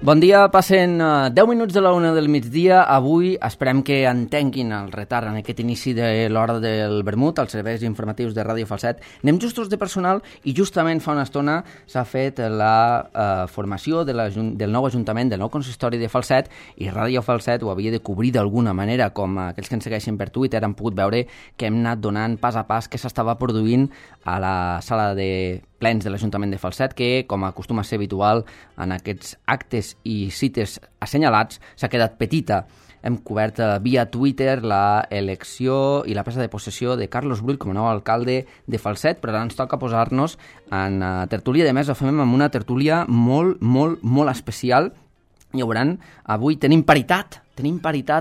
Bon dia, passen 10 minuts de la 1 del migdia. Avui esperem que entenguin el retard en aquest inici de l'hora del vermut, als serveis informatius de Ràdio Falset. Anem justos de personal i justament fa una estona s'ha fet la formació del nou Ajuntament, del nou consistori de Falset, i Ràdio Falset ho havia de cobrir d'alguna manera, com aquells que ens segueixen per Twitter han pogut veure que hem anat donant pas a pas què s'estava produint a la sala de plens de l'Ajuntament de Falset, que, com acostuma a ser habitual en aquests actes i cites assenyalats, s'ha quedat petita. Hem cobert via Twitter la elecció i la presa de possessió de Carlos Brull com a nou alcalde de Falset, però ara ens toca posar-nos en tertúlia. De més, ho fem amb una tertúlia molt especial. I ho veuran, avui tenim paritat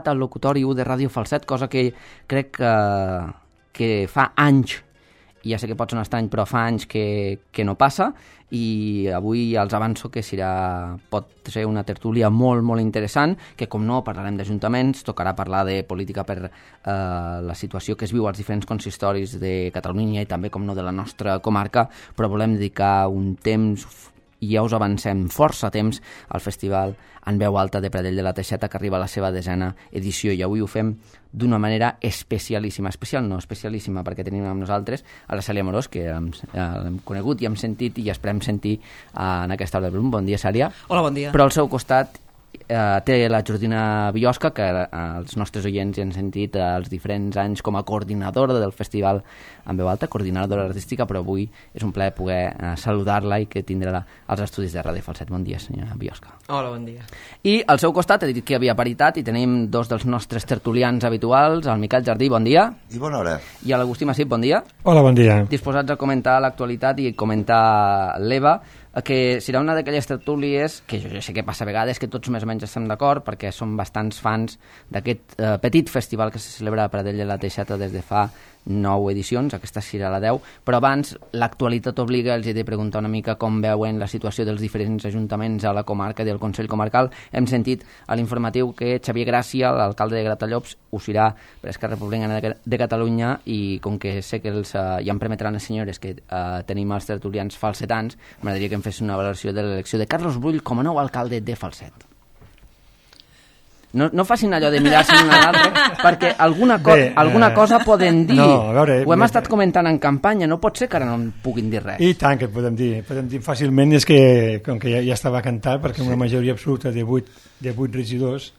al locutori 1 de Ràdio Falset, cosa que crec que fa anys, i ja sé que pot sonar estrany, però fa anys que no passa, i avui els avanço que pot ser una tertúlia molt interessant, que com no parlarem d'ajuntaments, tocarà parlar de política per la situació que es viu als diferents consistoris de Catalunya i també, com no, de la nostra comarca, però volem dedicar un temps, i ja us avancem força temps, al Festival en Veu Alta de Pradell de la Teixeta, que arriba a la seva 10ª edició, i avui ho fem d'una manera especialíssima, especialíssima, perquè tenim amb nosaltres a la Cèlia Morós, que l'hem conegut i hem sentit i esperem sentir en aquesta hora de Blum. Bon dia, Cèlia. Hola, bon dia. Però al seu costat té la Jordina Biosca, que els nostres oients ja han sentit els diferents anys com a coordinadora del Festival en Veu Alta, coordinadora artística, però avui és un plaer poder saludar-la i que tindrà als estudis de Ràdio Falset. Bon dia, senyora Biosca. Hola, bon dia. I al seu costat he dit que hi havia paritat i tenim dos dels nostres tertulians habituals, el Miquel Jardí, bon dia. I bona hora. I l'Agustí Massip, bon dia. Hola, bon dia. Disposats a comentar l'actualitat i comentar l'EVA, que serà una d'aquelles tertúlies que jo sé que passa a vegades, que tots més o menys estem d'acord, perquè som bastants fans d'aquest petit festival que se celebra a Pradell de la Teixeta des de fa 9 edicions, aquesta serà la 10, però abans l'actualitat obliga, els he de preguntar una mica com veuen la situació dels diferents ajuntaments a la comarca del Consell Comarcal. Hem sentit a l'informatiu que Xavier Gràcia, l'alcalde de Gratallops, ho serà per Esquerra Republicana de Catalunya, i com que sé que ja em permetran les senyores que tenim els tertulians falsetans, m'agradaria que em fes una valoració de l'elecció de Carlos Brull com a nou alcalde de Falset. No facin allò de mirar-se l'un a l'altre, perquè alguna cosa poden dir. No, a veure, ho hem estat comentant en campanya, no pot ser que ara no en puguin dir res. I tant que podem dir fàcilment, és que com que ja estava cantat, perquè una majoria absoluta de 8 regidors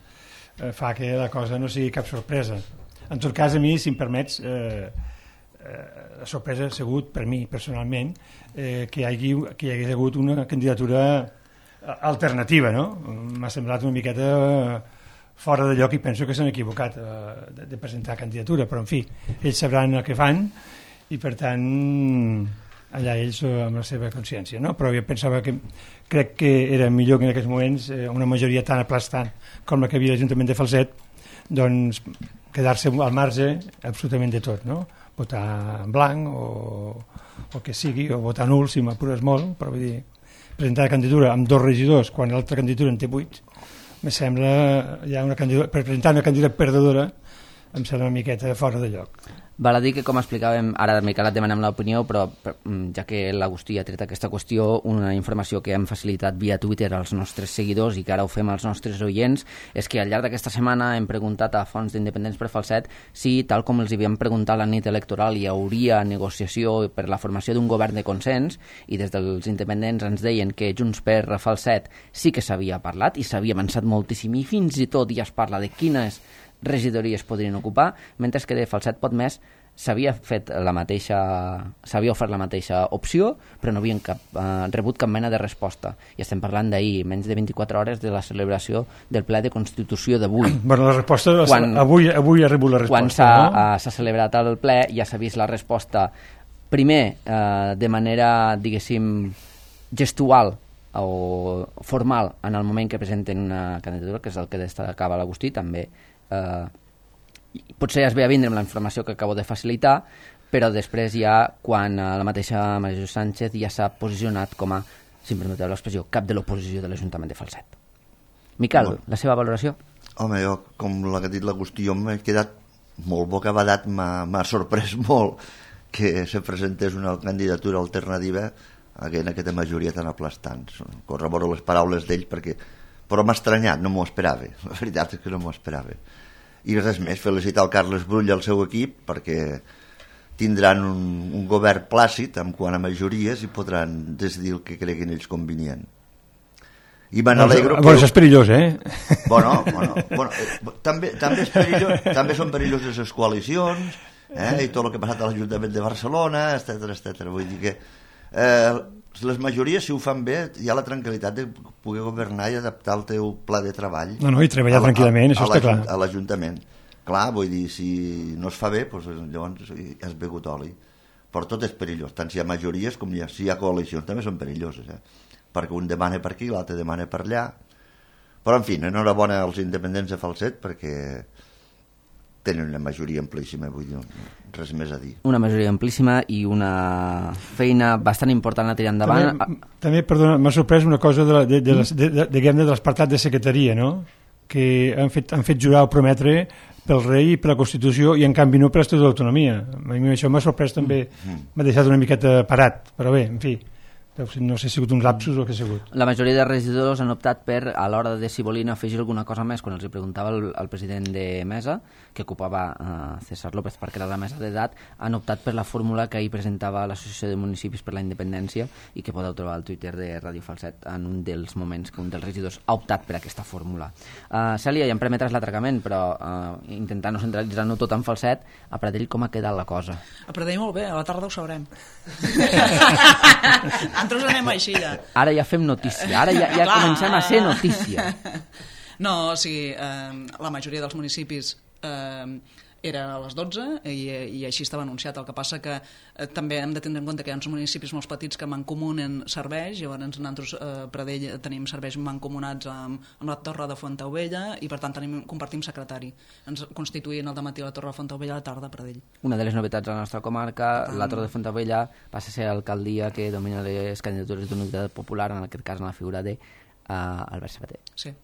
fa que la cosa no sigui cap sorpresa. En tot cas, a mi, si em permets, la sorpresa ha sigut per mi personalment que hi hagués hagut una candidatura alternativa, no? M'ha semblat una miqueta fora de lloc i penso que s'han equivocat de presentar candidatura, però en fi, ells sabran el que fan i per tant allà ells amb la seva consciència, no? Però jo pensava que crec que era millor que en aquests moments una majoria tan aplastant com la que havia l'Ajuntament de Falset, doncs quedar-se al marge absolutament de tot, no? Votar en blanc o que sigui, o votar nul si m'apures molt, però vull dir, presentar la candidatura amb 2 regidors quan l'altra candidatura en té 8, me sembla ja per presentar una candidatura perdedora em sembla una miqueta fora de lloc. Val a dir que, com explicàvem, ara Miquel et demanem l'opinió, però ja que l'Agustí ha tret aquesta qüestió, una informació que hem facilitat via Twitter als nostres seguidors i que ara ho fem als nostres oients, és que al llarg d'aquesta setmana hem preguntat a fonts d'independents per Falset si, tal com els havíem preguntat la nit electoral, hi hauria negociació per la formació d'un govern de consens, i des dels independents ens deien que Junts per Falset sí que s'havia parlat i s'havia avançat moltíssim, i fins i tot ja es parla de quines regidories podrien ocupar, mentre que de Falset Pot Més s'havia ofert la mateixa opció, però no havien rebut cap mena de resposta. I estem parlant d'ahir, menys de 24 hores de la celebració del ple de Constitució d'avui. Bueno, la resposta, avui ha rebut la resposta. Quan s'ha celebrat el ple ja s'ha vist la resposta, primer de manera, diguéssim, gestual o formal en el moment que presenten una candidatura, que és el que destacava l'Agustí, també potser es ve a vindre amb la informació que acabo de facilitar, però després ja quan la mateixa Maria José Sánchez ja s'ha posicionat com a, si em permeteu l'expressió, cap de l'oposició de l'Ajuntament de Falset. Miquel, la seva valoració? Home, jo, com l'ha dit l'Agustí, jo m'he quedat molt bocabadat, m'ha sorprès molt que se presentés una candidatura alternativa en aquesta majoria tan aplastant. Corroboro les paraules d'ell perquè però m'ha estranyat, no m'ho esperava, la veritat és que no m'ho esperava. I res més, felicitar el Carles Brull i el seu equip perquè tindran un govern plàcid en quant a majories i podran decidir el que creguin ells convenient. I me n'alegro... Bueno, això és perillós, Bueno, també és perillós, també són perilloses les coalicions, i tot el que ha passat a l'Ajuntament de Barcelona, etcètera. Vull dir que les majories, si ho fan bé, hi ha la tranquil·litat de poder governar i adaptar el teu pla de treball. No, i treballar tranquil·lament, això està clar. A l'Ajuntament. Clar, vull dir, si no es fa bé, doncs llavors has begut oli. Però tot és perillós, tant si hi ha majories com si hi ha coalicions, també són perilloses, perquè un demana per aquí, l'altre demana per allà. Però, en fi, enhorabona als independents de Falset perquè tenen una majoria amplíssima, vull dir, res més a dir. Una majoria amplíssima i una feina bastant important a tirar endavant. També perdona, m'ha sorprès una cosa de l'espartat de secretaria, no? Que han fet jurar o prometre pel rei i per la Constitució i en canvi no per l'Estatut d'Autonomia. A mi això m'ha sorprès també, m'ha deixat una miqueta parat, però bé, en fi, no sé si ha sigut un lapsus o què ha sigut. La majoria de regidors han optat per, a l'hora de si volien afegir alguna cosa més, quan els hi preguntava el president de mesa, que ocupava César López perquè era la mesa d'edat, han optat per la fórmula que ahir presentava l'Associació de Municipis per la Independència i que podeu trobar al Twitter de Ràdio Falset en un dels moments que un dels regidors ha optat per aquesta fórmula. Cèlia, ja em permetràs l'atracament, però intentant no centralitzar-ho tot en Falset, a Pradell com ha quedat la cosa? A Pradell molt bé, a la tarda ho sabrem. Nosaltres anem així ja. Ara ja fem notícia, ara ja comencem a ser notícia. No, o sigui, la majoria dels municipis era a les 12 i així estava anunciat. El que passa que també hem de tindre en compte que hi ha uns municipis molt petits que mancomunen serveis, llavors nosaltres a Pradell tenim serveis mancomunats amb la Torre de Fontaubella i per tant compartim secretari. Ens constituïen al dematí la Torre de Fontaubella a la tarda a Pradell. Una de les novetats de la nostra comarca, la Torre de Fontaubella passa a ser l'alcaldia que domina les candidatures d'unitat popular, en aquest cas en la figura d'Albert Sabater. Sí.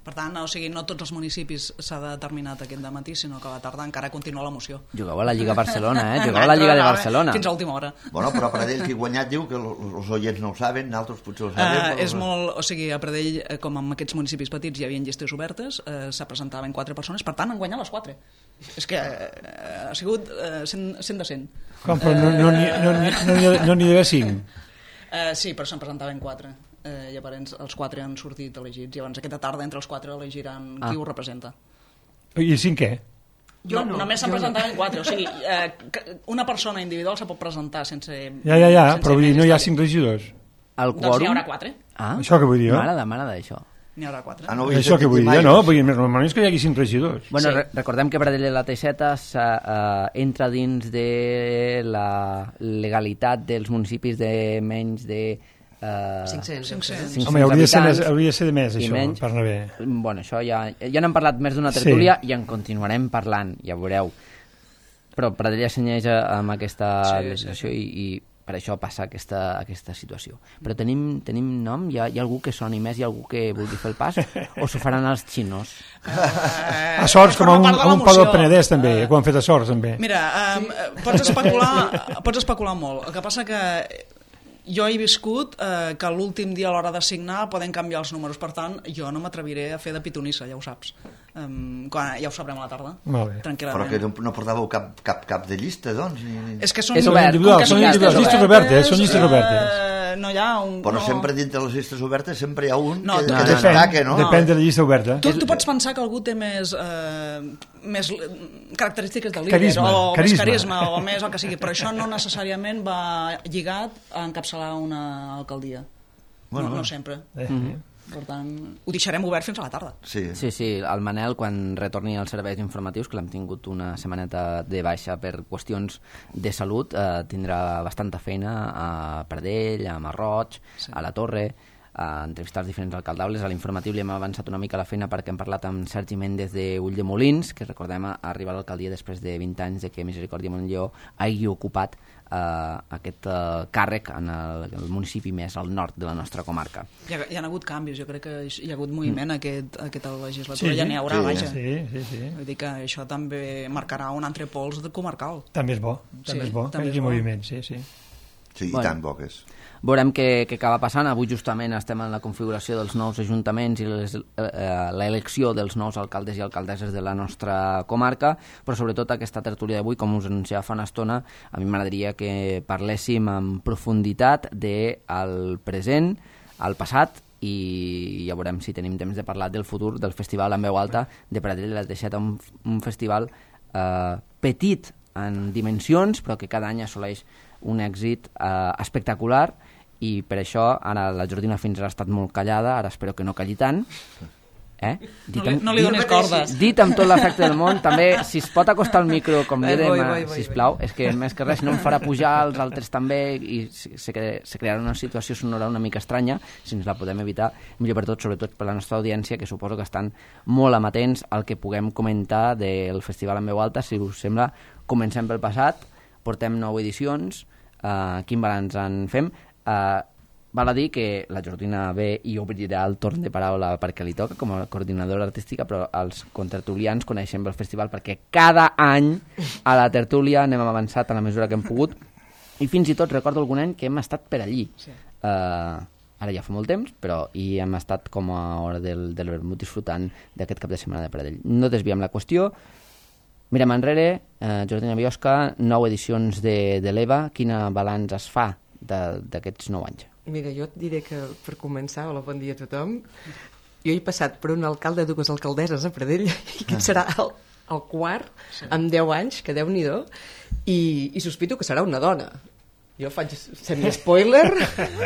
Per tant, o sigui, no tots els municipis s'ha determinat aquest dematí, sinó que a la tarda encara continua la moció. Jugueu a la Lliga Barcelona, Jugueu a la Lliga de Barcelona. Fins a última hora. Bueno, però a Pradell qui ha guanyat diu que els oients no ho saben, nosaltres potser ho sabem. És molt... O sigui, a Pradell, com en aquests municipis petits hi havia llistes obertes, se presentaven 4 persones, per tant, han guanyat les 4. És que ha sigut 100 de 100. Com, però no n'hi havia 5? Sí, però se'n presentaven 4. Llavors els 4 han sortit elegits. Llavors aquesta tarda entre els 4 elegiran qui ho representa. I el 5 què? Només se'n presentaven 4. O sigui, una persona individual se pot presentar sense... Ja, però vull dir, no hi ha 5 regidors. El quòrum... Doncs n'hi haurà 4. Això que vull dir jo. M'agrada això. N'hi haurà 4. No això que vull dir jo, no? Normalment és que hi hagi 5 regidors. Bueno, recordem que Pradell de la Teixeta entra dins de la legalitat dels municipis de menys de... 500. Home, hauria de ser de més, això, menys, per anar bé. Bueno, això ja n'hem parlat més d'una tertúlia i en continuarem parlant, ja veureu. Però Pradell ja senyeix amb aquesta legislació i per això passa aquesta situació. Però tenim nom? Hi ha algú que soni més? Hi ha algú que vulgui fer el pas? O s'ho faran els xinos? A Sorts, com a un Pau del Penedès també, que ho han fet a Sorts també. Mira, pots especular molt. El que passa que jo he viscut que l'últim dia a l'hora de signar poden canviar els números, per tant jo no m'atreviré a fer de pitonissa, ja ho saps. Ja ho sabrem a la tarda, tranquil·lament. Però que no portàveu cap de llista, doncs? És que són individuals, són llistes obertes. No hi ha un... Però sempre dintre les llistes obertes sempre hi ha un que destaca, no? Depèn de la llista oberta. Tu pots pensar que algú té més característiques de líder o més carisma o més el que sigui, però això no necessàriament va lligat a encapçalar una alcaldia. No sempre. Per tant, ho deixarem obert fins a la tarda. Sí, el Manel, quan retorni als serveis informatius, que l'hem tingut una setmaneta de baixa per qüestions de salut, tindrà bastanta feina a Pradell, a Marroig, a la Torre, a entrevistar els diferents alcaldables. A l'informatiu li hem avançat una mica la feina perquè hem parlat amb Sergi Méndez de Ulldemolins, que recordem arribar a l'alcaldia després de 20 anys de que Misericòrdia Montllor hagi ocupat aquest càrrec en el municipi més al nord de la nostra comarca. Hi ha hagut canvis, jo crec que hi ha hagut moviment aquesta legislatura, ja n'hi haurà, vaja. Vull dir que això també marcarà un altre pols comarcal. També és bo, que hi hagi moviment, sí. Sí, i tant poques. Veurem què acaba passant. Avui justament estem en la configuració dels nous ajuntaments i l'elecció dels nous alcaldes i alcaldesses de la nostra comarca, però sobretot aquesta tertúlia d'avui, com us anunciava fa una estona, a mi m'agradaria que parléssim amb profunditat del present, el passat, i ja veurem si tenim temps de parlar del futur del Festival en Veu Alta de Pradell. L'ha deixat un festival petit en dimensions, però que cada any assoleix un èxit espectacular, i per això ara la Jordina fins ara ha estat molt callada, ara espero que no calli tant. No li donis cordes. Dit amb tot l'efecte del món, també, si es pot acostar el micro, com li demà, sisplau, és que més que res no em farà pujar els altres també, i se crearà una situació sonora una mica estranya. Si ens la podem evitar, millor per tot, sobretot per la nostra audiència, que suposo que estan molt amatents al que puguem comentar del Festival en Veu Alta. Si us sembla, comencem pel passat. Portem 9 edicions, quin balanç en fem? Val a dir que la Jordina ve i obrirà el torn de paraula perquè li toca com a coordinadora artística, però els contertulians coneixem el festival perquè cada any a la tertúlia anem avançat a la mesura que hem pogut, i fins i tot recordo algun any que hem estat per allí. Sí. Ara ja fa molt temps, però hi hem estat com a hora del vermut disfrutant d'aquest cap de setmana de Pradell. No desviem la qüestió, mirem enrere. Jordina Biosca, 9 edicions de l'EVA, quina balanç es fa d'aquests 9 anys? Mira, jo et diré que, per començar, hola, bon dia a tothom, jo he passat per un alcalde i 2 alcaldesses a Pradell, i aquest serà el quart, amb 10 anys, que Déu-n'hi-do, i sospito que serà una dona. Jo faig semi-spoiler.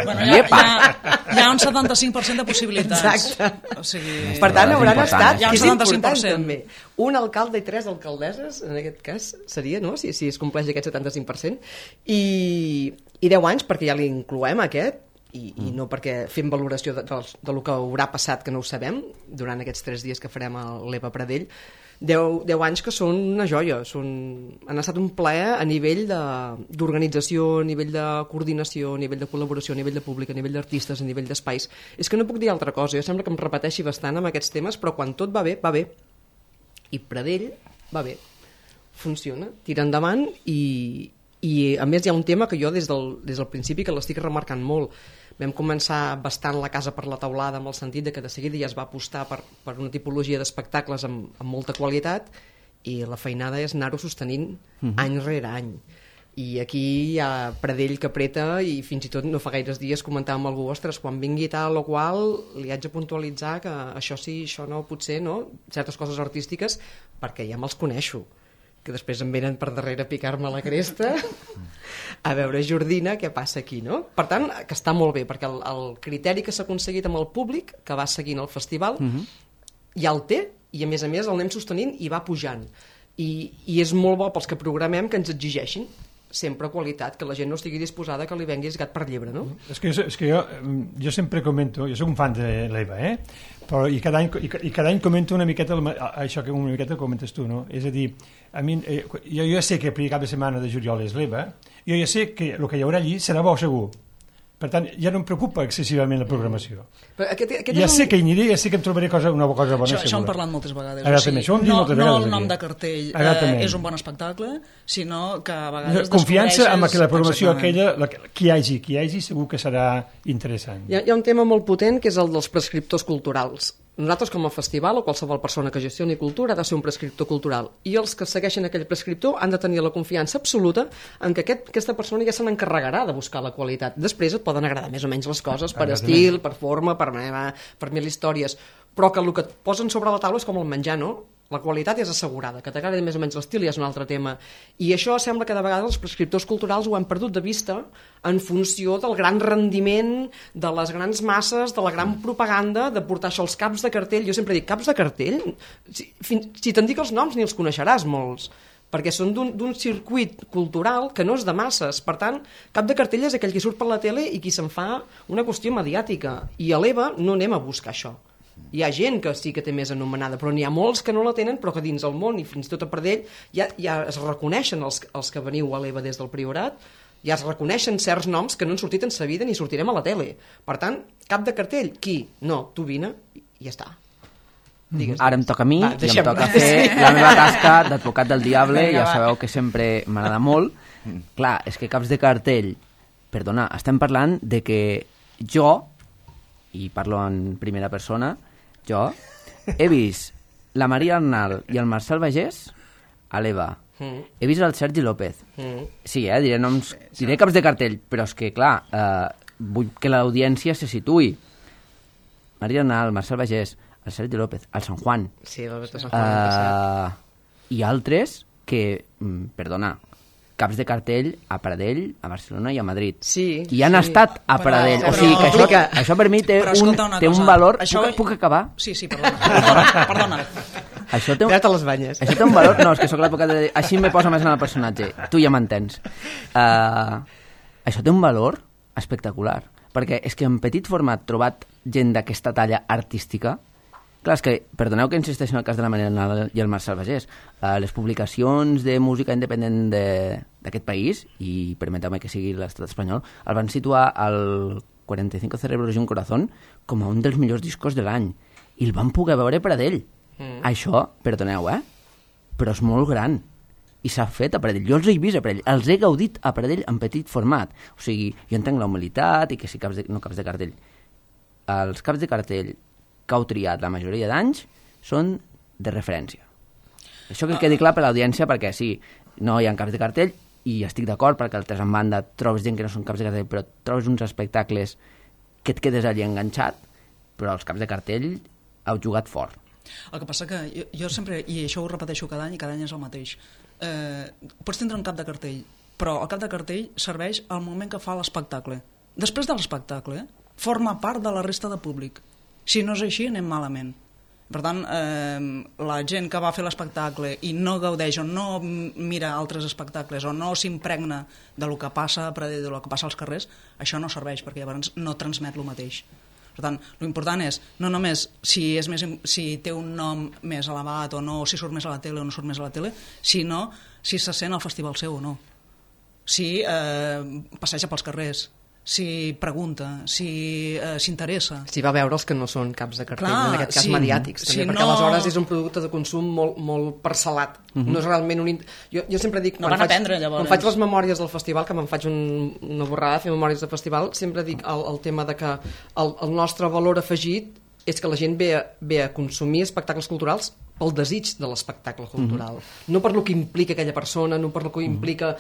Bueno, hi ha un 75% de possibilitats. Exacte. O sigui, per tant, hauran estat, hi ha un que és important 75%. també. Un alcalde i 3 alcaldesses, en aquest cas, seria, no?, si es compleix aquest 75%. I 10 anys, perquè ja li incloem aquest, i no perquè fem valoració de lo que haurà passat, que no ho sabem, durant aquests 3 dies que farem a l'EVA Pradell. 10 anys que són una joia, han estat un plaer a nivell d'organització, a nivell de coordinació, a nivell de col·laboració, a nivell de públic, a nivell d'artistes, a nivell d'espais. És que no puc dir altra cosa, jo sembla que em repeteixi bastant amb aquests temes, però quan tot va bé, va bé. I Pradell va bé, funciona, tira endavant, i a més hi ha un tema que jo des del principi que l'estic remarcant molt. Vam començar bastant la casa per la teulada, amb el sentit de que de seguida ja es va apostar per una tipologia d'espectacles amb molta qualitat, i la feinada és anar-ho sostenint any rere any. I aquí hi ha Pradell que apreta, i fins i tot no fa gaires dies comentàvem amb algú, ostres, quan vingui tal o qual li haig de puntualitzar que això sí, això no, potser no, certes coses artístiques, perquè ja me'ls coneixo, que després em venen per darrere a picar-me la cresta a veure, Jordina, què passa aquí, no? Per tant, que està molt bé, perquè el criteri que s'ha aconseguit amb el públic que va seguint el festival ja el té, i a més el anem sostenint i va pujant, i és molt bo pels que programem que ens exigeixin sempre qualitat, que la gent no estigui disposada que li venguis gat per llebre, no? És que jo sempre comento, jo soc un fan de l'EVA, però i cada any comento una miqueta això que una miqueta comentes tu, no? És a dir, a mi, jo ja sé que el primer cap de setmana de juliol és l'EVA, jo ja sé que el que hi haurà allí serà bo segur. Per tant, ja no em preocupa excessivament la programació. Ja sé que hi aniré, ja sé que em trobaré una cosa bona. Això hem parlat moltes vegades. No el nom de cartell és un bon espectacle, sinó que a vegades confiança en que la programació aquella, qui hi hagi, segur que serà interessant. Hi ha un tema molt potent que és el dels prescriptors culturals. Nosaltres, com a festival, o qualsevol persona que gestioni cultura, ha de ser un prescriptor cultural, i els que segueixen aquell prescriptor han de tenir la confiança absoluta en que aquesta persona ja se n'encarregarà de buscar la qualitat. Després et poden agradar més o menys les coses, per estil, per forma, per mil històries, però que el que et posen sobre la taula és com el menjar, no? La qualitat és assegurada, que t'agradi més o menys l'estil ja és un altre tema. I això sembla que de vegades els prescriptors culturals ho han perdut de vista en funció del gran rendiment, de les grans masses, de la gran propaganda, de portar això als caps de cartell. Jo sempre dic, caps de cartell? Si te'n dic els noms ni els coneixeràs molts, perquè són d'un circuit cultural que no és de masses. Per tant, cap de cartell és aquell que surt per la tele i qui se'n fa una qüestió mediàtica. I a l'EVA no anem a buscar això. Hi ha gent que sí que té més anomenada, però n'hi ha molts que no la tenen, però que dins el món i fins i tot a Pradell ja es reconeixen els que veniu a l'EVA des del Priorat, ja es reconeixen certs noms que no han sortit en sa vida ni sortirem a la tele. Per tant, cap de cartell. Qui? No, tu vine i ja està. Digues. Ara em toca a mi i em toca fer la meva tasca d'advocat del diable. Ja sabeu que sempre m'agrada molt. Clar, és que caps de cartell perdona, estem parlant de que jo, i parlo en primera persona, jo he vist la Maria Arnal i el Marcel Bagés a l'EVA. He vist el Sergi López. Sí, diré noms, diré caps de cartell, però és que, clar, vull que l'audiència se situï. Maria Arnal, Marcel Bagés, el Sergi López, el San Juan. Sí, el de Sant Juan. I altres que, perdona, caps de cartell a Pradell, a Barcelona i a Madrid. Sí. I han estat a Pradell. O sigui que això per mi té un valor... Puc acabar? Sí, perdona. Això té Tira't a les banyes. Això té un valor... No, és que sóc l'advocat de... Així me posa més en el personatge. Tu ja m'entens. Això té un valor espectacular. Perquè és que en petit format trobat gent d'aquesta talla artística. Clar, és que, perdoneu que insisteixi en el cas de la Maria Arnal i el Marcel Bagés, les publicacions de música independent d'aquest país, i permeteu-me que sigui l'estat espanyol, el van situar al 45 Cerebros y un Corazón com a un dels millors discos de l'any, i el van poder veure per a d'ell. Això, perdoneu, però és molt gran, i s'ha fet a Pradell. Jo els he vist a Pradell, els he gaudit a Pradell en petit format. O sigui, jo entenc la humilitat i que si caps de cartell. Els caps de cartell que heu triat la majoria d'anys són de referència. Això que quedi clar per l'audiència, perquè sí, no hi ha caps de cartell, i estic d'acord perquè altres en banda trobes gent que no són caps de cartell, però trobes uns espectacles que et quedes allí enganxat, però els caps de cartell heu jugat fort. El que passa que jo sempre, i això ho repeteixo cada any, i cada any és el mateix, pots tindre un cap de cartell, però el cap de cartell serveix al moment que fa l'espectacle. Després de l'espectacle, forma part de la resta de públic. Si no és així, anem malament. Per tant, la gent que va fer l'espectacle i no gaudeix o no mira altres espectacles o no s'impregna del que passa a Pradell, del que passa als carrers, això no serveix, perquè llavors no transmet el mateix. Per tant, l'important és no només si té un nom més elevat o no, si surt més a la tele o no surt més a la tele, sinó si se sent al festival seu o no. Si passeja pels carrers, si pregunta, si s'interessa. Si va veure els que no són caps de cartell, en aquest cas mediàtics, també, perquè aleshores és un producte de consum molt parcel·lat. No és realment un... Jo sempre dic... No van aprendre, llavors. Quan faig les memòries del festival, que me'n faig una borrada, fer memòries de festival, sempre dic el tema de que el nostre valor afegit és que la gent ve a consumir espectacles culturals pel desig de l'espectacle cultural. No per lo que implica aquella persona, no per lo que implica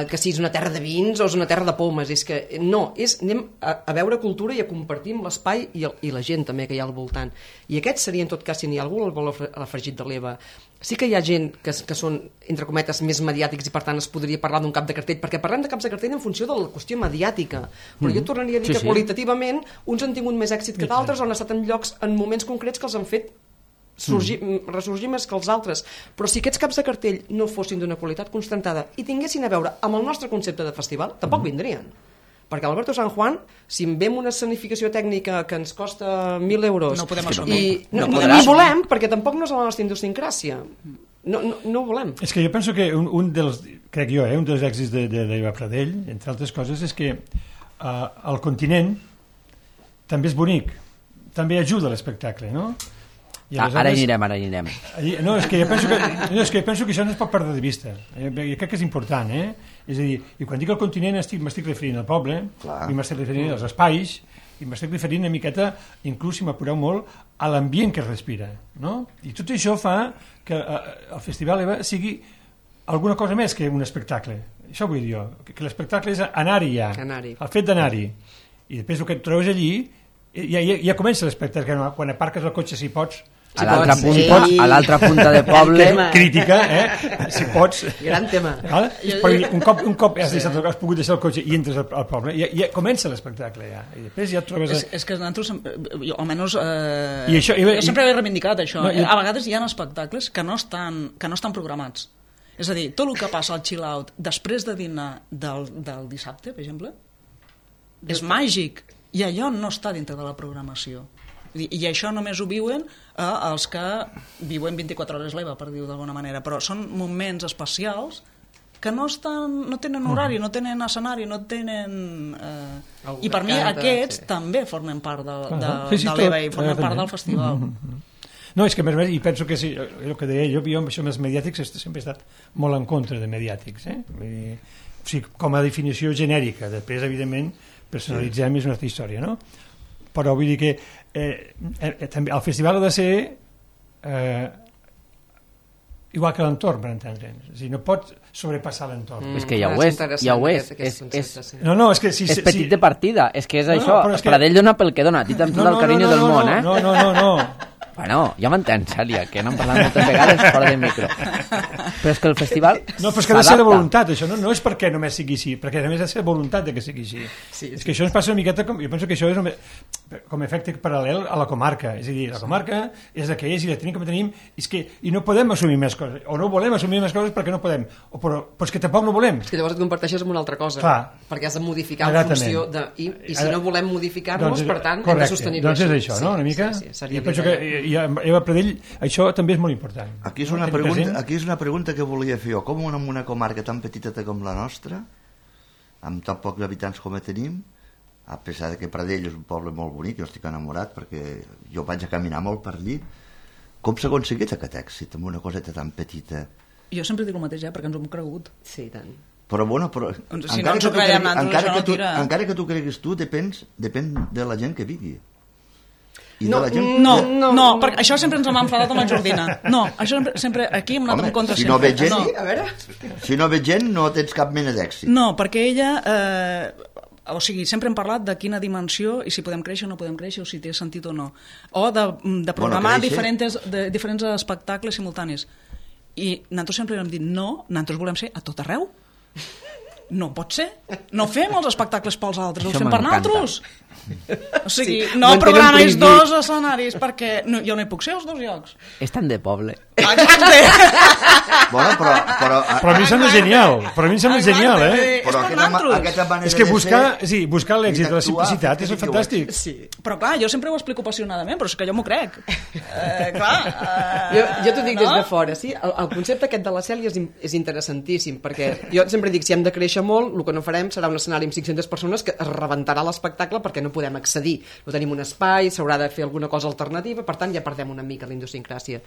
que si és una terra de vins o és una terra de pomes. És que no, anem a veure cultura i a compartir amb l'espai i la gent també que hi ha al voltant. I aquest seria, en tot cas, si n'hi ha algú al valor afegit de l'EVA. Sí que hi ha gent que són, entre cometes, més mediàtics i per tant es podria parlar d'un cap de cartell, perquè parlem de caps de cartell en funció de la qüestió mediàtica. Però jo tornaria a dir que qualitativament uns han tingut més èxit que d'altres o han estat en llocs, en moments concrets que els han fet ressorgir més que els altres. Però si aquests caps de cartell no fossin d'una qualitat constatada i tinguessin a veure amb el nostre concepte de festival, tampoc vindrien. Perquè Alberto San Juan, si en vem una escenificació tècnica que ens costa 1.000 euros no podem assumir. No volem, perquè tampoc no és la nostra idiosincràsia. No ho volem. És que jo penso que un dels èxits d'Eva Pradell, entre altres coses, és que el continent també és bonic, també ajuda l'espectacle, no? Ara hi anirem. No, és que jo penso que això no es pot perdre de vista. Jo crec que és important, És a dir, i quan dic el continent m'estic referint al poble, i m'estic referint als espais, i m'estic referint una miqueta, inclús si m'apureu molt, a l'ambient que es respira, no? I tot això fa que el Festival EVA sigui alguna cosa més que un espectacle. Això vull dir jo, que l'espectacle és anar-hi ja, el fet d'anar-hi. I després el que et trobes allí, ja comença l'espectacle, quan aparques el cotxe si pots, a l'altra punta de poble crítica, si pots, gran tema. Un cop has pogut deixar el cotxe i entres al poble, ja comença l'espectacle i després ja et trobes és que nosaltres, almenys jo sempre he reivindicat això, a vegades hi ha espectacles que no estan programats, és a dir, tot el que passa al chill out després de dinar del dissabte, per exemple, és màgic i allò no està dintre de la programació. I això només ho viuen els que viuen 24 hores l'EVA, per dir-ho d'alguna manera, però són moments especials que no tenen horari, no tenen escenari, no tenen... I per mi aquests també formen part de l'EVA i formen part del festival. No, és que més, i penso que sí, el que deia jo amb això amb els mediàtics sempre he estat molt en contra de mediàtics, com a definició genèrica. Després, evidentment, personalitzem, és una altra història, no? Però vull dir que també el festival ha de ser igual que l'entorn, per entendre'ns. És a dir, no pot sobrepassar l'entorn. És que ja ho és. No, és que és petit de partida, és que és això. Pradell dona pel que dona, a ti t'han tot el carinyo del món, eh? No. Bueno, ja m'entens, Cèlia, que n'hem parlat moltes vegades fora del micro. Però és que el festival no, però és que ha de ser de voluntat, això no és perquè només sigui així, perquè a més ha de ser voluntat de que sigui així. És que això ens passa una miqueta jo penso que això és com a efecte paral·lel a la comarca, és a dir, la comarca és la que és i la tenim com tenim, i no podem assumir més coses, o no volem assumir més coses perquè no podem, però és que tampoc no volem. És que llavors et comparteixes amb una altra cosa. Clar. Perquè has de modificar en funció de... I si no volem modificar-nos, per tant, hem de sostenir-ho. Doncs és això, no? Una mica? Jo penso que Eva Pradell, això també és molt important. Aquí és una pregunta que volia fer jo. Com en una comarca tan petiteta com la nostra, amb tan pocs habitants com tenim, a pesar de que Pradell és un poble molt bonic, jo estic enamorat perquè jo vaig a caminar molt per allí, com s'ha aconseguit aquest èxit amb una coseta tan petita? Jo sempre dic el mateix, perquè ens ho hem cregut. Sí, tant. Però bueno, si no ens ho creiem nosaltres, encara que tu creguis tu, depèn de la gent que vigui. No, perquè això sempre ens hem enfadat amb la Jordina. No, això sempre aquí hem anat en contra. Si no veig gent, no tens cap mena d'èxit. No, perquè ella... o sigui, sempre hem parlat de quina dimensió i si podem créixer o no podem créixer o si té sentit o no. O de programar diferents espectacles simultanis. I nosaltres sempre hem dit no, nosaltres volem ser a tot arreu. No pot ser. No fem els espectacles pels altres, els fem per nosaltres. O sigui, no programis dos escenaris perquè jo no hi puc ser als dos llocs. És tan de poble. Exacte. Bueno, però a mi sembla genial. Però a mi sembla genial, Però aquesta manera és que buscar l'èxit de la simplicitat és fantàstic. Però clar, jo sempre ho explico apassionadament, però és que jo m'ho crec. Jo t'ho dic des de fora, sí? El concepte aquest de la Cèlia és interessantíssim, perquè jo sempre dic, si hem de créixer molt, el que no farem serà un escenari amb 500 persones que es rebentarà l'espectacle perquè no podem accedir. No tenim un espai, s'haurà de fer alguna cosa alternativa, per tant ja perdem una mica la idiosincràsia.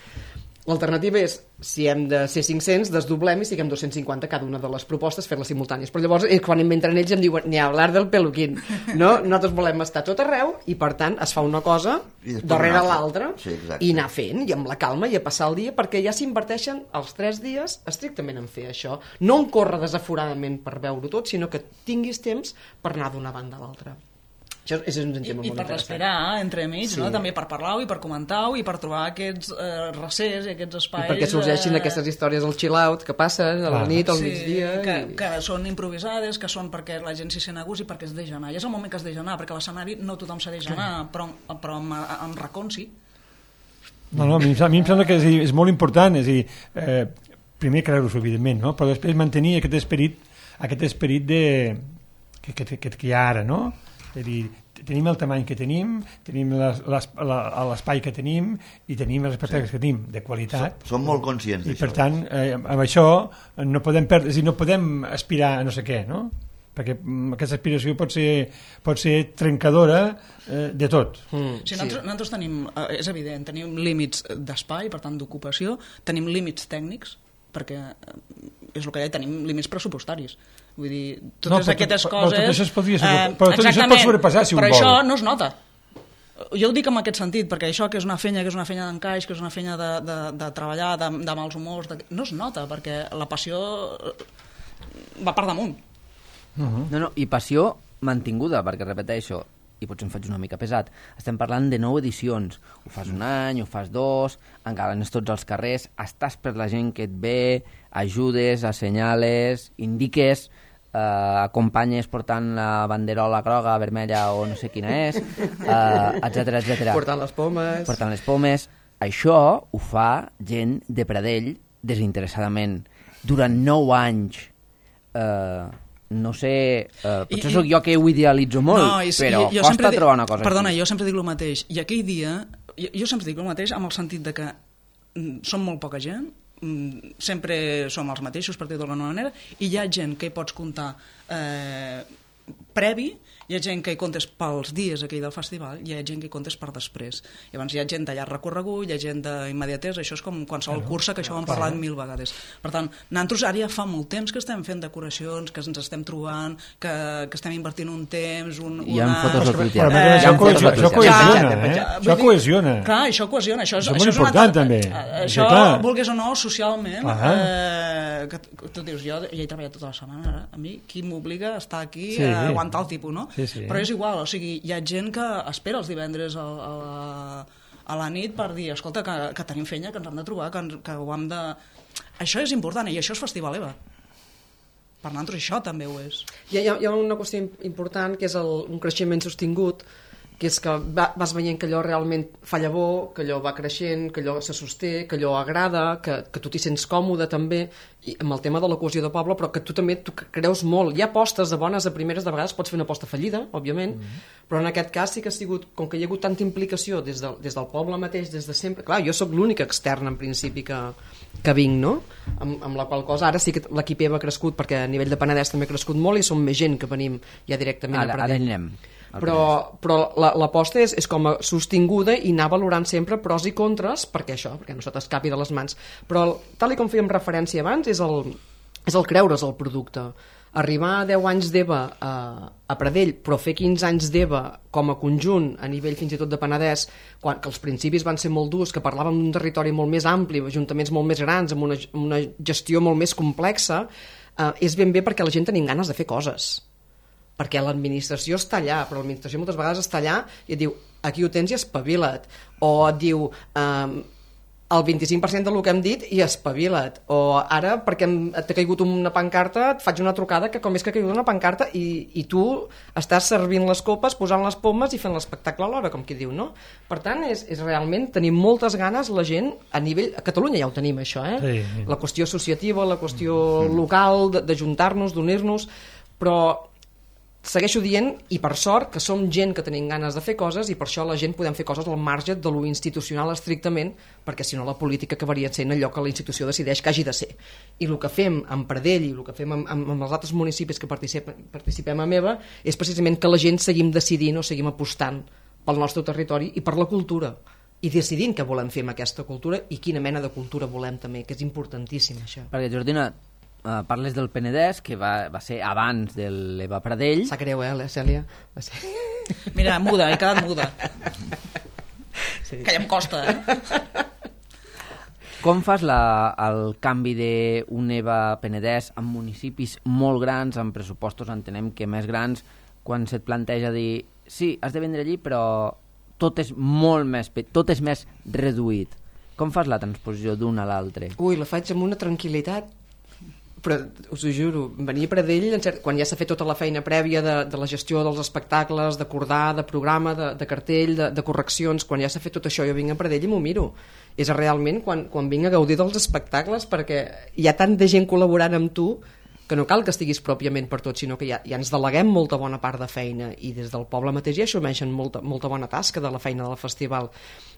L'alternativa és, si hem de ser 500, desdoblem i siguem 250 cada una de les propostes, fer-les simultànies. Però llavors, quan inventen ells, em diuen, ni hablar del peluquín. No? Nosaltres volem estar tot arreu i, per tant, es fa una cosa darrere l'altra i anar fent, i amb la calma, i a passar el dia, perquè ja s'inverteixen els 3 dies estrictament en fer això. No en córrer desaforadament per veure-ho tot, sinó que tinguis temps per anar d'una banda a l'altra. Això és un tema molt interessant. I per respirar entremig, no? També per parlar-ho i per comentar-ho i per trobar aquests recers i aquests espais... I perquè sorgeixin aquestes històries al chill-out que passen a la nit, al migdia... Que són improvisades, que són perquè la gent s'hi sent a gust i perquè es deixa anar. I és el moment que es deixa anar, perquè a l'escenari no tothom s'ha deixa anar, però amb racons sí. No, a mi em sembla que és molt important, és a dir, primer creure-s'ho, evidentment, no? Però després mantenir aquest esperit que hi ha ara, no? És a dir, tenim el tamany que tenim l'espai que tenim i tenim els espectacles que tenim de qualitat. Som molt conscients d'això. I per tant, amb això no podem perdre, és a dir, no podem aspirar a no sé què, no? Perquè aquesta aspiració pot ser trencadora de tot. Nosaltres tenim, és evident, tenim límits d'espai, per tant d'ocupació, tenim límits tècnics, perquè és el que deia, tenim límits pressupostaris. Vull dir, totes aquestes coses... Però tot això es pot sobrepassar, si un vol. Però això no es nota. Jo ho dic en aquest sentit, perquè això que és una fenya d'encaix, que és una fenya de treballar, de mals humors, no es nota, perquè la passió va per damunt. No, i passió mantinguda, perquè repeteixo, i potser em faig una mica pesat, estem parlant de 9 edicions, ho fas un any, ho fas 2, encara anés tots als carrers, estàs per la gent que et ve, ajudes, assenyales, indiques, acompanyes portant la banderola groga, vermella o no sé quina és, etc. Portant les pomes. Això ho fa gent de Pradell desinteressadament. Durant 9 anys... no sé, potser sóc jo que ho idealitzo molt, però costa trobar una cosa perdona, així. Jo sempre dic el mateix, i aquell dia jo sempre dic el mateix amb el sentit de que som molt poca gent, sempre som els mateixos per dir-ho d'alguna manera, i hi ha gent que hi pots comptar previ, hi ha gent que hi comptes pels dies aquell del festival, hi ha gent que hi comptes per després. Llavors hi ha gent d'allà recorregut, hi ha gent d'immediatesa, això és com qualsevol cursa, que això ho hem parlat 1000 vegades. Per tant, nosaltres ara ja fa molt temps que estem fent decoracions, que ens estem trobant, que estem invertint un temps, Hi ha fotos al Twitter. Això cohesiona. Clar, això cohesiona. Això és molt important, també. Això, vulguis o no, socialment, que tu dius, jo hi he treballat tota la setmana, ara, a mi, qui m'obliga a estar aquí a aguantar el tipus, no? Sí. Però és igual, o sigui, hi ha gent que espera els divendres a la nit per dir, escolta, que tenim feina, que ens hem de trobar, que ho hem de... Això és important, i això és Festival EVA. Per nosaltres això també ho és. Hi ha una qüestió important, que és un creixement sostingut, que és que vas veient que allò realment fa llavor, que allò va creixent, que allò se sosté, que allò agrada, que tu t'hi sents còmode també, i amb el tema de la cohesió de poble, però que tu també creus molt. Hi ha apostes de bones a primeres, de vegades pots fer una aposta fallida, òbviament, però en aquest cas sí que ha sigut, com que hi ha hagut tanta implicació des del poble mateix, des de sempre... Clar, jo sóc l'única externa, en principi, que vinc, no? Amb la qual cosa, ara sí que l'equip EVA ha crescut, perquè a nivell de Penedès també ha crescut molt i som més gent que venim ja directament a Pradell. Ara anem. Però l'aposta és com a sostinguda i anar valorant sempre pros i contres perquè no se t'escapi de les mans. Però tal com fèiem referència abans és el creure's el producte. Arribar a 10 anys d'EVA a Pradell, però fer 15 anys d'EVA com a conjunt, a nivell fins i tot de Penedès, que els principis van ser molt durs, que parlàvem d'un territori molt més ampli, ajuntaments molt més grans, amb una gestió molt més complexa, és ben bé perquè la gent tenim ganes de fer coses. Perquè l'administració està allà, però l'administració moltes vegades està allà i et diu, aquí ho tens i espavila't, o et diu el 25% del que hem dit i espavila't, o ara perquè t'ha caigut una pancarta et faig una trucada que com és que ha caigut una pancarta i tu estàs servint les copes, posant les pomes i fent l'espectacle alhora, com qui diu, no? Per tant, és realment tenir moltes ganes la gent a nivell... A Catalunya ja ho tenim, això, Sí. La qüestió associativa, la qüestió local, d'ajuntar-nos, d'unir-nos, però segueixo dient, i per sort, que som gent que tenim ganes de fer coses i per això la gent podem fer coses al marge de lo institucional estrictament, perquè si no la política acabaria sent allò que la institució decideix que hagi de ser. I el que fem amb Pradell i el que fem amb els altres municipis que participem a EVA és precisament que la gent seguim decidint o seguim apostant pel nostre territori i per la cultura i decidint què volem fer amb aquesta cultura i quina mena de cultura volem també, que és importantíssim això. Perquè, Jordina, parles del Penedès, que va ser abans de l'EVA Pradell. Sap greu, la Cèlia? Mira, muda, he quedat muda. Sí. Que ja em costa, Com fas el canvi d'un EVA Penedès amb municipis molt grans, amb pressupostos entenem que més grans, quan se't planteja dir sí, has de vendre allí, però tot és molt més, tot és més reduït. Com fas la transposició d'un a l'altre? Ui, la faig amb una tranquil·litat, però us ho juro, venir a Pradell quan ja s'ha fet tota la feina prèvia de la gestió dels espectacles, d'acordar, de programa, de cartell, de correccions, quan ja s'ha fet tot això jo vinc a Pradell i m'ho miro. És realment quan vinc a gaudir dels espectacles, perquè hi ha tanta gent col·laborant amb tu que no cal que estiguis pròpiament per tot, sinó que ja ens deleguem molta bona part de feina i des del poble mateix ja assumeixen molta bona tasca de la feina del festival.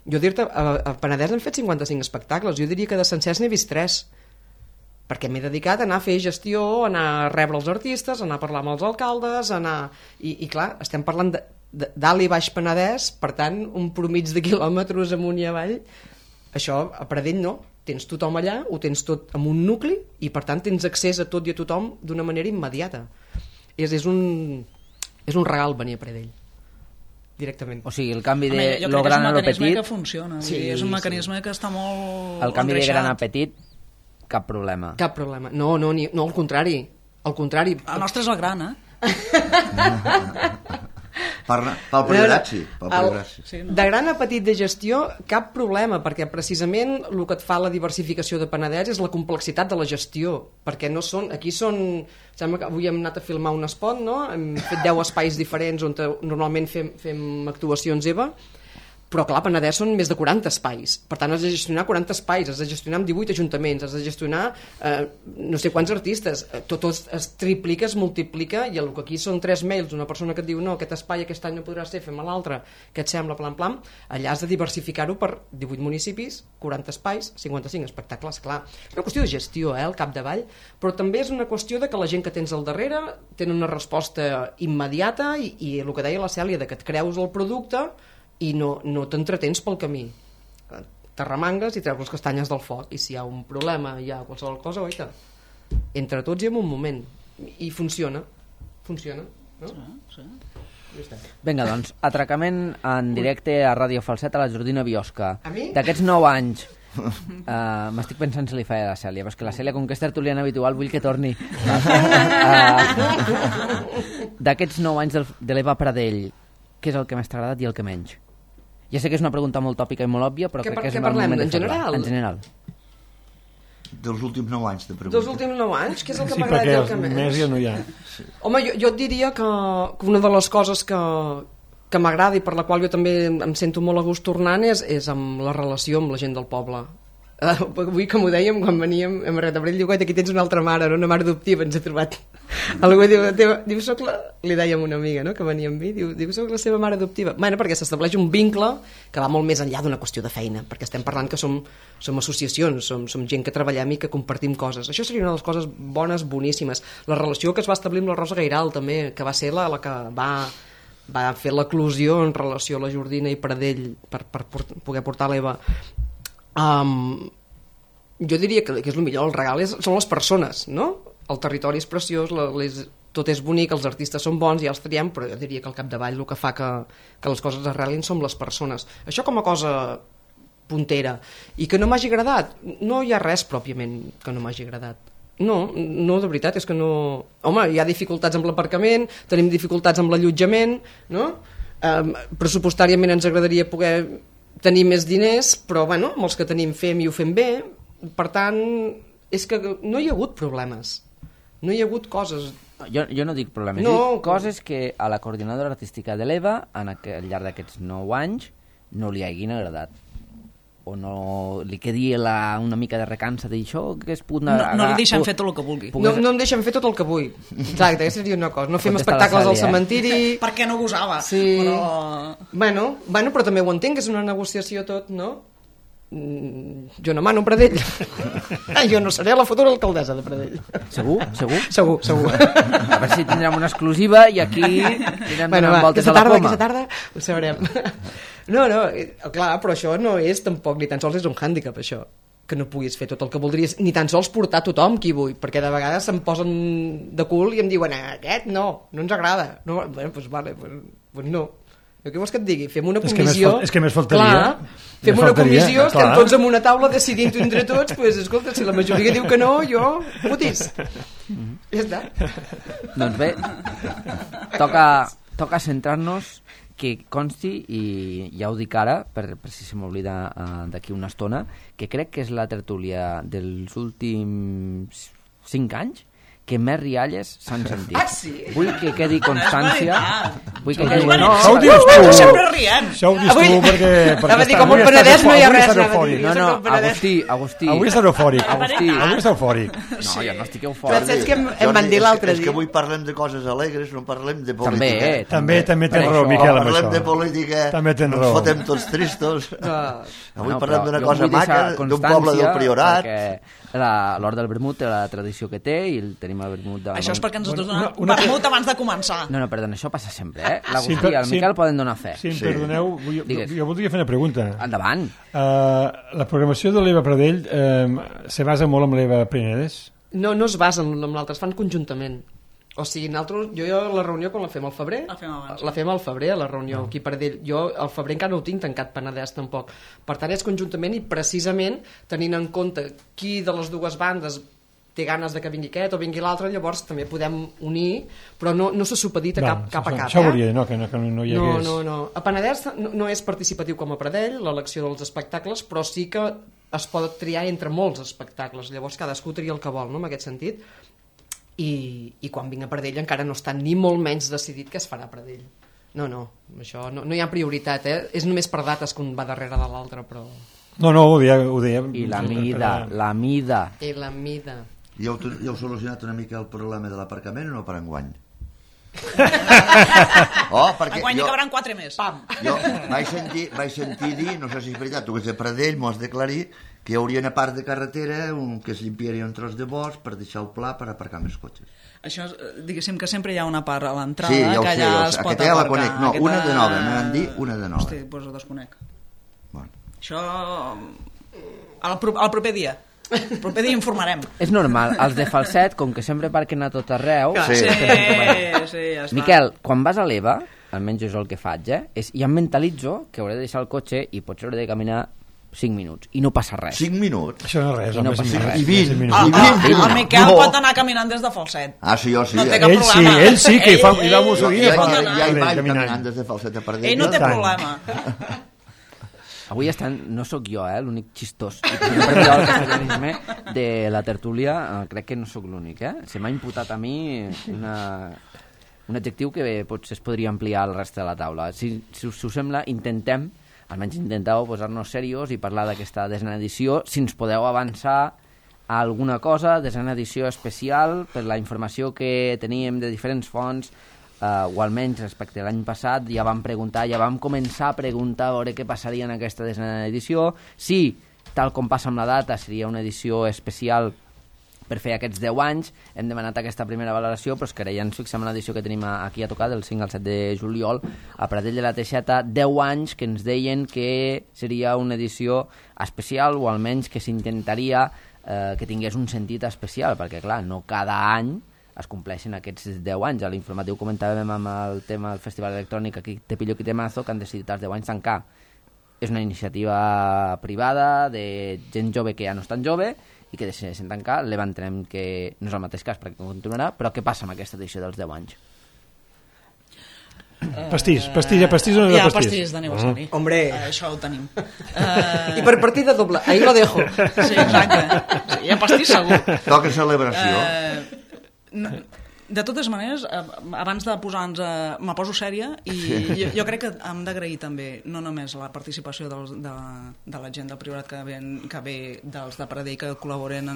Jo dir-te, a Penedès hem fet 55 espectacles, jo diria que de sencers n'he vist 3, perquè m'he dedicat a anar a fer gestió, a anar a rebre els artistes, a anar a parlar amb els alcaldes, i clar, estem parlant de dalt i baix Penedès, per tant, un promig de quilòmetres amunt i avall, això a Pradell no, tens tothom allà, ho tens tot en un nucli, i per tant tens accés a tot i a tothom d'una manera immediata. És un regal venir a Pradell, directament. O sigui, el canvi de lo gran a lo petit... Jo crec que és un mecanisme que funciona, sí, és un mecanisme que està molt el canvi engreixat. de gran a petit, cap problema. Cap problema. No, al contrari. Al contrari. El nostre és el gran, Pel progrés, sí. De gran a petit de gestió, cap problema, perquè precisament el que et fa la diversificació de Penedès és la complexitat de la gestió, perquè no són... Aquí són... Sembla que avui hem anat a filmar un spot, no? Hem fet 10 espais diferents on normalment fem actuacions EVA. Però clar, Penedès són més de 40 espais, per tant has de gestionar 40 espais, has de gestionar amb 18 ajuntaments, has de gestionar no sé quants artistes, tot es triplica, es multiplica, i el que aquí són 3 mails d'una persona que et diu no, aquest espai aquest any no podrà ser, fem l'altre, què et sembla, plan, allà has de diversificar-ho per 18 municipis, 40 espais, 55 espectacles, clar. És una qüestió de gestió, al capdavall, però també és una qüestió de que la gent que tens al darrere tenen una resposta immediata i el que deia la Cèlia, de que et creus el producte i no t'entretens pel camí. T'arremangues i treus les castanyes del foc, i si hi ha un problema, hi ha qualsevol cosa, oita, entre tots i en un moment, i funciona, no? Sí. Vinga, doncs, atracament en directe a Ràdio Falset a la Jordina Biosca. A mi? D'aquests 9 anys, m'estic pensant si li feia a la Cèlia, però és que la Cèlia, com que és tertuliana habitual, vull que torni. D'aquests 9 anys de l'Eva Pradell, què és el que més t'ha agradat i el que menys? Ja sé que és una pregunta molt tòpica i molt òbvia, però crec que és un moment de parlem? En general. Dels últims 9 anys, te pregunto. Dels últims 9 anys, què és el que Sí, m'ha agradat i el que perquè menys? més ja no hi ha. Home, jo et diria que una de les coses que m'agrada i per la qual jo també em sento molt a gust tornant és amb la relació amb la gent del poble. Avui, com ho dèiem, quan veníem a Marret de Brell, diu, aquí tens una altra mare, no? Una mare adoptiva, ens ha trobat. Algú diu, soc li dèiem a una amiga, no?, que venia amb mi, diu, soc la seva mare adoptiva. Bueno, perquè s'estableix un vincle que va molt més enllà d'una qüestió de feina, perquè estem parlant que som associacions, som gent que treballem i que compartim coses. Això seria una de les coses bones, boníssimes. La relació que es va establir amb la Rosa Gairal, també, que va ser la que va fer l'eclusió en relació a la Jordina i Pradell per poder portar l'Eva. Jo diria que és el millor, el regal són les persones, no? El territori és preciós, tot és bonic, els artistes són bons, ja els triem, però jo diria que al capdavall el que fa que les coses arrelin són les persones. Això com a cosa puntera. I que no m'hagi agradat? No hi ha res pròpiament que no m'hagi agradat. No, de veritat, és que no... Home, hi ha dificultats amb l'aparcament, tenim dificultats amb l'allotjament, no? Pressupostàriament ens agradaria poder tenir més diners, però bueno, amb els que tenim fem i ho fem bé. Per tant, és que no hi ha hagut problemes, no hi ha hagut coses. Jo no dic problemes, No. dic coses que a la coordinadora artística de l'Eva al llarg d'aquests 9 anys no li hagin agradat, o no li quedi una mica de recança d'això que es pugui... No li deixen fer tot el que vulgui. No em deixen fer tot el que vull. Exacte, aquesta seria una cosa. No fem Contesta la espectacles al Cèlia, cementiri... Perquè no gosava. Sí. Però... Bueno, però també ho entenc, que és una negociació tot, no? Jo no mano Pradell. Jo no seré la futura alcaldessa de Pradell. Segur? Segur. A veure si tindrem una exclusiva i aquí anirem donant voltes a la poma. Aquesta tarda ho sabrem. No, clar, però això no és tampoc, ni tan sols és un hàndicap, això, que no puguis fer tot el que voldries, ni tan sols portar tothom qui vull, perquè de vegades se'm posen de cul i em diuen, aquest no ens agrada. No, bueno, doncs vale, pues no. Què vols que et digui? Fem una comissió... És que més faltaria. Clar, fem una comissió, estem tots en una taula decidint-ho entre tots, doncs escolta, si la majoria diu que no, jo, putis. Ja està. Doncs bé, toca centrar-nos, que consti, i ja ho dic ara, per si se m'oblida d'aquí una estona, que crec que és la tertúlia dels últims 5 anys que més rialles s'han sentit. Ah, sí? Vull que quedi constància. Vull que quedi... Això ho dius tu. Nosaltres sempre riem. Això ho dius tu perquè... Anava a dir, com el Penedès no hi ha res. No, Agustí. Avui estàs eufòric. Agustí. Avui estàs eufòric. No, jo no estic Però eufòric. saps què em van dir l'altre És que dia? avui parlem de coses alegres, no parlem de política. També. També tens Per raó, això. Miquel, amb Parlem de això. política, També tens ens raó. fotem tots tristos. Avui No, parlem però d'una jo cosa vull deixar maca, d'un poble del constància, Priorat. perquè l'Hort del Vermut té la tradició que té i tenim el Vermut de... Això és perquè ens has Una- donat una- vermut abans de començar. No, perdona, això passa sempre, L'Agustí Sí, i el Miquel poden donar fe. Si em perdoneu, Digues. jo voldria fer una pregunta. Endavant. La programació de l'Eva Pradell se basa molt en l'Eva Penedès? No es basen en l'altre, es fan conjuntament. O sigui, jo la reunió quan la fem al febrer, La fem abans. la fem al febrer, la reunió aquí per Pradell. Jo al febrer encara no ho tinc tancat Penedès tampoc. Per tant, és conjuntament i precisament tenint en compte qui de les dues bandes té ganes de que vingui aquest o vingui l'altre, llavors també podem unir, però no se supedita cap a cap. Això volia dir, no, que no hi hagués... No. A Penedès no és participatiu com a Pradell, l'elecció dels espectacles, però sí que es pot triar entre molts espectacles, llavors cadascú tria el que vol, no?, en aquest sentit. I quan vinc a Pradell encara no està ni molt menys decidit què es farà a Pradell. No, això no hi ha prioritat, És només per dates que un va darrere de l'altre, però... No, ho deia... I la mida. I la mida. Ja heu solucionat una mica el problema de l'aparcament o no per enguany? Enguany hi cabran 4 més. Pam! Jo vaig sentir dir, no sé si és veritat, tu que ets de Pradell, m'ho has d'aclarir, que hi hauria una part de carretera que es limpiaria un tros de bosc per deixar el pla per aparcar més cotxes. Això, diguéssim que sempre hi ha una part a l'entrada Sí, ja ho que sé, allà es pot aquesta ja la aparcar. conec. No, una de nova, me van dir una de nova. Hosti, doncs ho desconec. Bueno. Això... al proper dia. El proper dia informarem. És normal, els de Falset, com que sempre parquen a tot arreu... Sí. Sí, ja està. Miquel, quan vas a l'EVA, almenys és el que faig, ja em mentalitzo que hauré de deixar el cotxe i potser hauré de caminar 5 minuts, i no passa res. 5 minuts? Això no és res, I no home, passa 5 res. I 20. El Miquel pot anar caminant des de Falset. Ah, sí, jo sí. No té cap problema. Ell sí, que hi va Mussolini. Ja pot hi anar. vaig caminant des de Falset a Pardell. Ell no té tant. problema. Avui no sóc jo, l'únic xistós i sempre el castellanisme de la tertúlia, crec que no sóc l'únic, Se m'ha imputat a mi un adjectiu que potser es podria ampliar al reste de la taula. Si us sembla, almenys intenteu posar-nos serios i parlar d'aquesta desena edició. Si ens podeu avançar a alguna cosa, desena edició especial per la informació que teníem de diferents fonts, o almenys respecte a l'any passat ja vam començar a preguntar a veure què passaria en aquesta desena edició, si tal com passa amb la data seria una edició especial per fer aquests 10 anys. Hem demanat aquesta primera valoració, però és que ara ja ens fixem en l'edició que tenim aquí a tocar del 5 al 7 de juliol a Pradell de la Teixeta, 10 anys que ens deien que seria una edició especial, o almenys que s'intentaria que tingués un sentit especial, perquè clar, no cada any es compleixen aquests 10 anys. A l'informatiu comentàvem amb el tema del Festival Electrònic aquí te pillo qui te mazo, que han decidit als 10 anys tancar. És una iniciativa privada de gent jove que ja no és tan jove i que decideixen tancar. L'entenem que no és el mateix cas perquè continuarà, però què passa amb aquesta edició dels 10 anys? Pastís o no hi ha pastís? pastís d'aniversari. Hombre. Això ho tenim. I per partida doble, ahí lo dejo. Sí, exacte. Sí, hi ha pastís segur. Toca celebració. De totes maneres, abans de posar-nos me poso sèria i jo crec que hem d'agrair també no només la participació de la gent del Priorat que ve dels de Pradell que col·laboren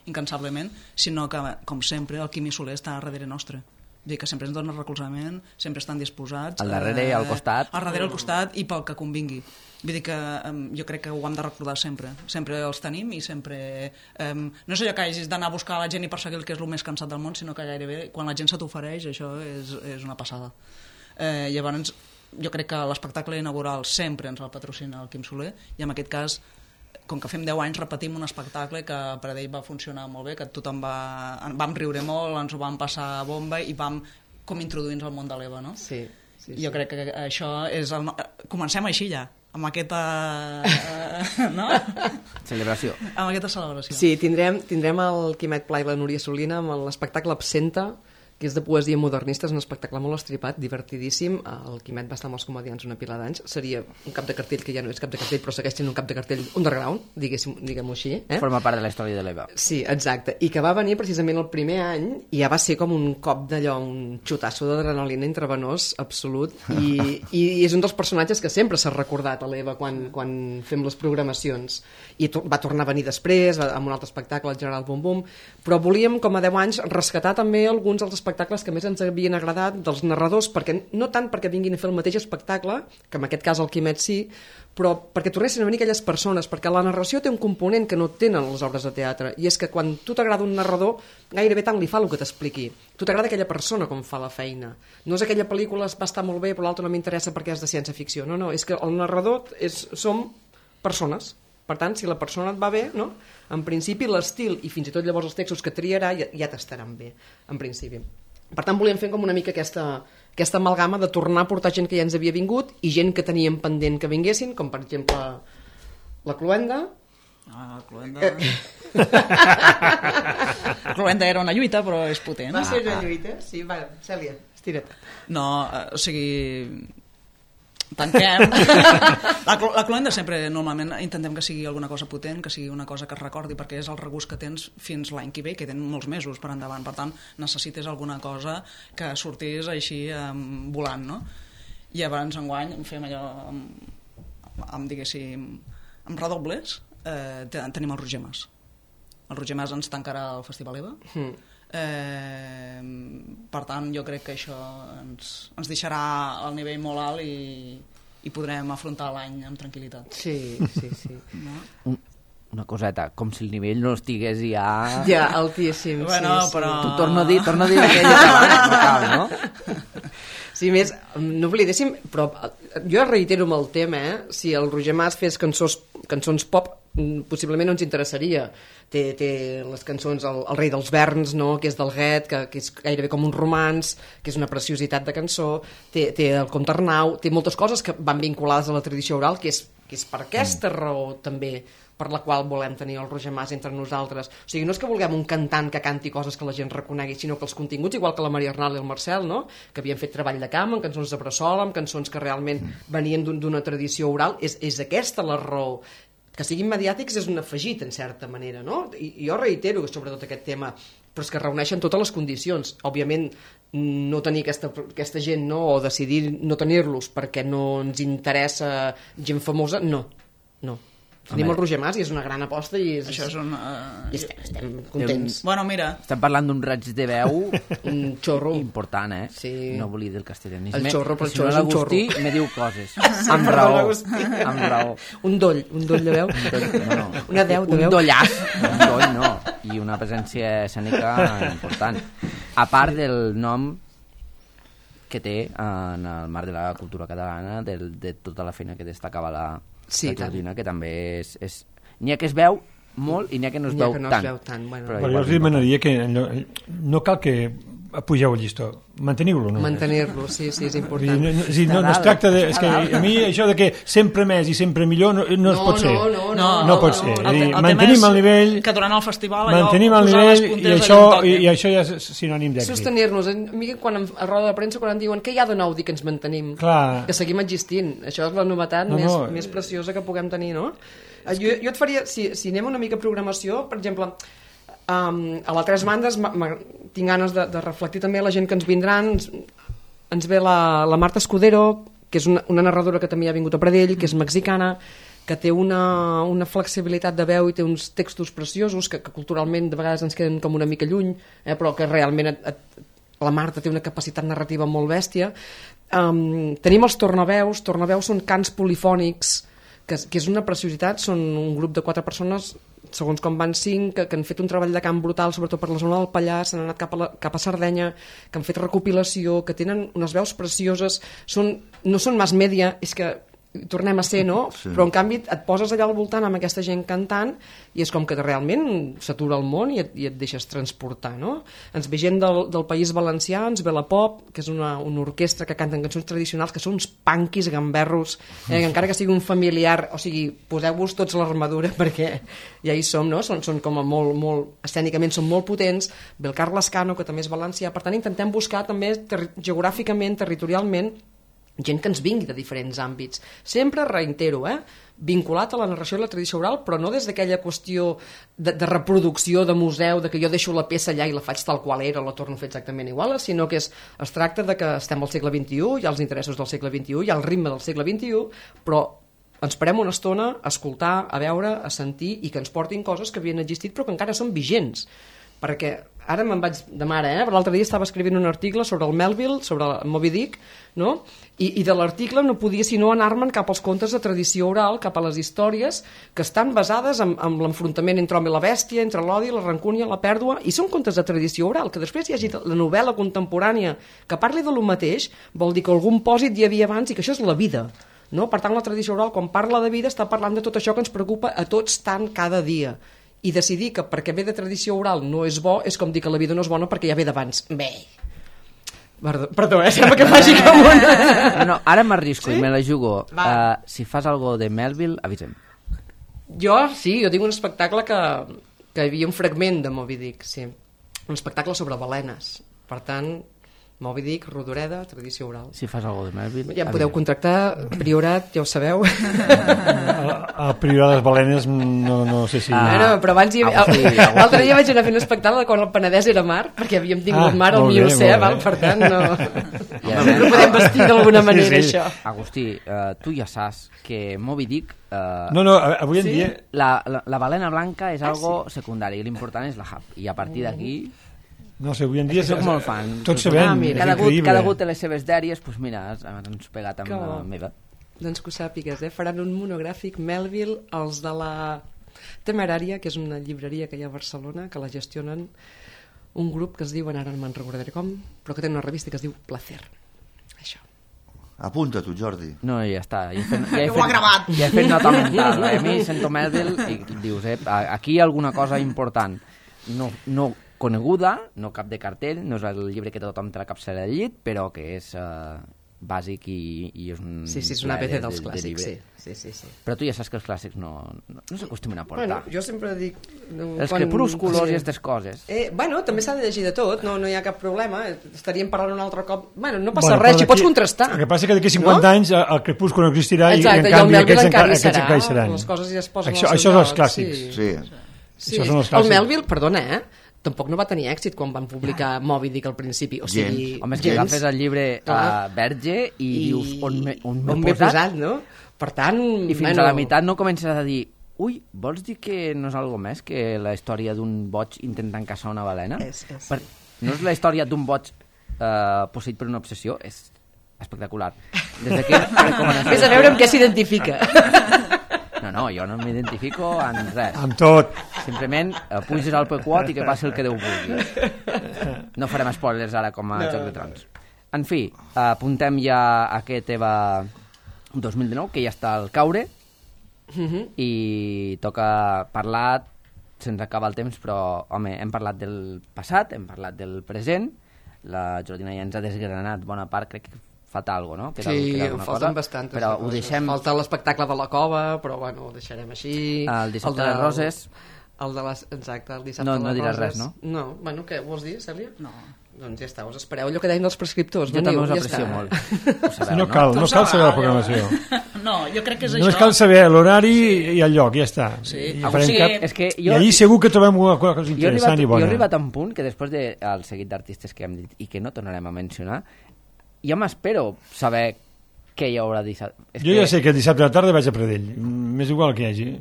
incansablement, sinó que, com sempre, el Quimi Soler està darrere nostre. Vull dir que sempre ens donen recolzament, sempre estan disposats. Al darrere i al costat. Al darrere, al costat i pel que convingui. Vull dir que jo crec que ho hem de recordar sempre. Sempre els tenim i sempre... no és allò que hagis d'anar a buscar la gent i perseguir el que és el més cansat del món, sinó que gairebé quan la gent se t'ofereix això és una passada. Llavors, jo crec que l'espectacle inaugural sempre ens el patrocina el Quim Soler i en aquest cas, com que fem 10 anys, repetim un espectacle que per ell va funcionar molt bé, que tothom vam riure molt, ens ho vam passar bomba i vam com introduir-nos al món de l'EVA, no? Sí. Jo crec que això és... Comencem així ja, amb aquesta... no? Celebració. Amb aquesta celebració. Sí, tindrem el Quimet Pla i la Núria Solina amb l'espectacle Absenta, que és de poesia modernista, és un espectacle molt estripat, divertidíssim. El Quimet va estar amb els comedians una pila d'anys. Seria un cap de cartell que ja no és cap de cartell, però segueix sent un cap de cartell underground, diguem-ho així. Forma part de la història de l'EVA. Sí, exacte. I que va venir precisament el primer any i ja va ser com un cop d'allò, un xutasso d'adrenalina intravenós absolut. I és un dels personatges que sempre s'ha recordat a l'EVA quan fem les programacions. I va tornar a venir després, amb un altre espectacle, el General Bum Bum, però volíem, com a 10 anys, rescatar també alguns dels espectacles que més ens havien agradat dels narradors, no tant perquè vinguin a fer el mateix espectacle, que en aquest cas el Quimet sí, però perquè tornessin a venir aquelles persones, perquè la narració té un component que no tenen les obres de teatre, i és que quan tu t'agrada un narrador, gairebé tant li fa el que t'expliqui. Tu t'agrada aquella persona com fa la feina. No és aquella pel·lícula va estar molt bé, però l'altra no m'interessa perquè és de ciència-ficció. No, és que el narrador som persones. Per tant, si la persona et va bé, no? En principi l'estil i fins i tot llavors els textos que triarà ja t'estaran bé, en principi. Per tant, volíem fer com una mica aquesta amalgama de tornar a portar gent que ja ens havia vingut i gent que teníem pendent que vinguessin, com per exemple la Cluenda. La Cluenda... La Cluenda era una lluita, però és potent. Va ser una lluita? Sí, va, Cèlia, estira't. No, o sigui... Tanquem. La Cluenda sempre, normalment, intentem que sigui alguna cosa potent, que sigui una cosa que es recordi, perquè és el regust que tens fins l'any que ve, que tens molts mesos per endavant. Per tant, necessites alguna cosa que sortís així volant, no? I llavors enguany fem allò diguéssim, amb redobles, tenim el Roger Mas. El Roger Mas ens tancarà el Festival EVA. Per tant, jo crec que això ens deixarà al nivell molt alt i podrem afrontar l'any amb tranquil·litat. Sí. No? Una coseta, com si el nivell no estigués ja... Ja, altíssim. Bueno, sí. però... Tu torno a dir aquella que no cal, no? Sí, més, no oblidéssim, però jo reitero amb el tema, si el Roger Mas fes cançons pop, possiblement no ens interessaria. Té les cançons El rei dels verns, no? Que és del Guet, que és gairebé com un romanç, que és una preciositat de cançó, té el Comte Arnau, té moltes coses que van vinculades a la tradició oral, que és per aquesta raó també per la qual volem tenir el Roger Mas entre nosaltres. O sigui, no és que vulguem un cantant que canti coses que la gent reconegui, sinó que els continguts, igual que la Maria Arnal i el Marcel, no? Que havien fet treball de camp, amb cançons de bressola, amb cançons que realment venien d'una tradició oral, és aquesta la raó. Que siguin mediàtics és un afegit, en certa manera, no? I jo reitero sobre tot aquest tema, però és que reuneixen totes les condicions. Òbviament, no tenir aquesta gent, no? O decidir no tenir-los perquè no ens interessa gent famosa, no. Tenim el Roger Mas i és una gran aposta i Això és un... i estem contents. Bueno, mira... Estem parlant d'un raig de veu Un xorro. important, eh? Sí. No volia dir el castellanisme. El xorro, però el Si no, xorro és un l'Agustí xorro. me diu coses. Amb raó. Amb raó. Un doll de veu. No. Una deu de Un veu. dollàs. Un doll, no. I una presència escènica important. A part del nom que té en el marc de la cultura catalana, de tota la feina que destacava la Jordina, que també és... N'hi ha que es veu molt i n'hi ha que no es veu tant. Bueno. Però jo els demanaria que no cal que pugeu el llistó, manteniu-lo. No? Mantenir-lo, sí, és important. No es tracta de... És que a mi això de que sempre més i sempre millor no es pot ser. No pot ser. Mantenim el nivell... Que durant el festival... Mantenim el nivell i això ja és sinònim d'èxit. Sostenir-nos. A mi, quan a roda de premsa, quan em diuen què hi ha de nou, dic que ens mantenim. Clar. Que seguim existint. Això és la novetat més preciosa que puguem tenir, no? Jo et faria... Si anem una mica a programació, per exemple... a les tres bandes tinc ganes de reflectir també la gent que ens vindran. Ens ve la Marta Escudero, que és una narradora que també ha vingut a Pradell, que és mexicana, que té una flexibilitat de veu i té uns textos preciosos que culturalment de vegades ens queden com una mica lluny, però que realment la Marta té una capacitat narrativa molt bèstia. Tenim els tornaveus són cants polifònics, que és una preciositat. Són un grup de 4 persones, segons com van 5, que han fet un treball de camp brutal, sobretot per la zona del Pallars, s'han anat cap a Sardenya, que han fet recopilació, que tenen unes veus precioses, no són mass media, és que tornem a ser, no? Sí. Però en canvi et poses allà al voltant amb aquesta gent cantant i és com que realment s'atura el món i et deixes transportar, no? Ens ve gent del País Valencià, ens ve la Pop, que és una orquestra que canten cançons tradicionals, que són uns punquis gamberros, encara que sigui un familiar, o sigui, poseu-vos tots l'armadura perquè ja hi som, no? Són com a molt escènicament són molt potents. Ve el Carles Cano, que també és valencià, per tant intentem buscar també geogràficament, territorialment, gent que ens vingui de diferents àmbits. Sempre, reitero, vinculat a la narració i la tradició oral, però no des d'aquella qüestió de reproducció, de museu, de que jo deixo la peça allà i la faig tal qual era, la torno a fer exactament igual, sinó que es tracta de que estem al segle XXI, hi ha els interessos del segle XXI, hi ha el ritme del segle XXI, però ens parem una estona a escoltar, a veure, a sentir i que ens portin coses que havien existit però que encara són vigents. Perquè ara me'n vaig de mare, però l'altre dia estava escrivint un article sobre el Melville, sobre el Moby Dick, no? I de l'article no podia sinó anar-me'n cap als contes de tradició oral, cap a les històries que estan basades en l'enfrontament entre l'home i la bèstia, entre l'odi, la rancúnia, la pèrdua, i són contes de tradició oral, que després hi hagi la novel·la contemporània que parli de lo mateix, vol dir que algun pòsit hi havia abans i que això és la vida. No? Per tant, la tradició oral, quan parla de vida, està parlant de tot això que ens preocupa a tots tant cada dia. I decidir que perquè ve de tradició oral no és bo és com dir que la vida no és bona perquè ja ve d'abans. Bé, perdó, sembla que faci com una... No, ara m'arrisco i me la jugo. Si fas algo de Melville, avisa'm. Jo tinc un espectacle que hi havia un fragment de Moby Dick, sí. Un espectacle sobre balenes. Per tant, Moby Dick, Rodoreda, tradició oral. Si fas algo de Melville... Ja em podeu contractar, Priorat, ja ho sabeu. El Priorat de les balenes no sé si... Però abans l'altre dia vaig anar a fer un espectacle quan el Penedès era mar, perquè havíem tingut mar al Miocè, per tant no... No podem vestir d'alguna manera, Sí. això. Agustí, tu ja saps que Moby Dick... No, avui en dia... La balena blanca és algo secundari, l'important és la hub. I a partir d'aquí... No sé, avui en dia... Soc molt fan. Tots sabem, mira, és increïble. Cada hagut té les seves dèries, doncs mira, ens pegat amb la meva. Doncs que ho sàpigues, faran un monogràfic Melville, els de la Temerària, que és una llibreria que hi ha a Barcelona, que la gestionen un grup que es diuen, ara no me'n recordaré com, però que té una revista que es diu Placer. Això. Apunta tu, Jordi. No, ja està. Ja Ho ha gravat. Ja he fet nota mental. A mi sento Melville i dius, aquí hi ha alguna cosa important. No coneguda, no cap de cartell, no és el llibre que tothom té a la capçalera del llit, però que és bàsic i és un... Sí, és una PC dels clàssics, sí. Però tu ja saps que els clàssics no s'acostumen a portar. Bueno, jo sempre dic... Els crepúsculos i aquestes coses. Bueno, també s'ha de llegir de tot, no hi ha cap problema. Estaríem parlant un altre cop... Bueno, no passa res, hi pots contrastar. El que passa és que d'aquí 50 anys el crepúscul no existirà. Exacte, i en canvi el Melville aquests encara hi seran. Les coses ja es posen Això al seu són els lloc, clàssics. Sí. Això són els clàssics. El Melville, perdona, tampoc no va tenir èxit quan van publicar Moby Dick al principi. O sigui, Home, és que agafes el llibre a Verge i dius on m'he posat, no? Per tant... I fins a la meitat no comences a dir ui, vols dir que no és algo més que la història d'un boig intentant caçar una balena? No és la història d'un boig posseït per una obsessió? És espectacular. Des d'aquí recomanació. Vés a veure amb què s'identifica. No, jo no m'identifico en res. Amb tot. Simplement puges al P4 i que passi el que Déu vulgui. No farem spoilers ara com a Joc de Trons. En fi, apuntem ja a aquest EVA 2019, que ja està al caure, i toca parlar, se'ns acaba el temps, però, home, hem parlat del passat, hem parlat del present, la Jordina ja ens ha desgranat bona part, crec que falta alguna cosa, no? Sí, falten bastantes però ho coses. deixem... Falta l'espectacle de la cova, però bueno, ho deixarem així. El dissabte de les Roses. Exacte, el dissabte de les Roses. No diràs res, no? No, bueno, què, vols dir, Cèlia? No. Doncs ja està, us espereu allò que deien els prescriptors. Jo també us ja aprecio està. molt. No cal saber la programació. No, jo crec que és Només això. cal saber l'horari i el lloc, ja està. Sí. I, O sigui, és que I allí segur que trobem una cosa Jo he interessant i bona. arribat a un punt que després del seguit d'artistes que hem dit i que no tornarem a mencionar, ja m'espero saber què hi haurà dissabte. Jo ja sé que dissabte a la tarda vaig a Pradell. M'és igual que hi hagi.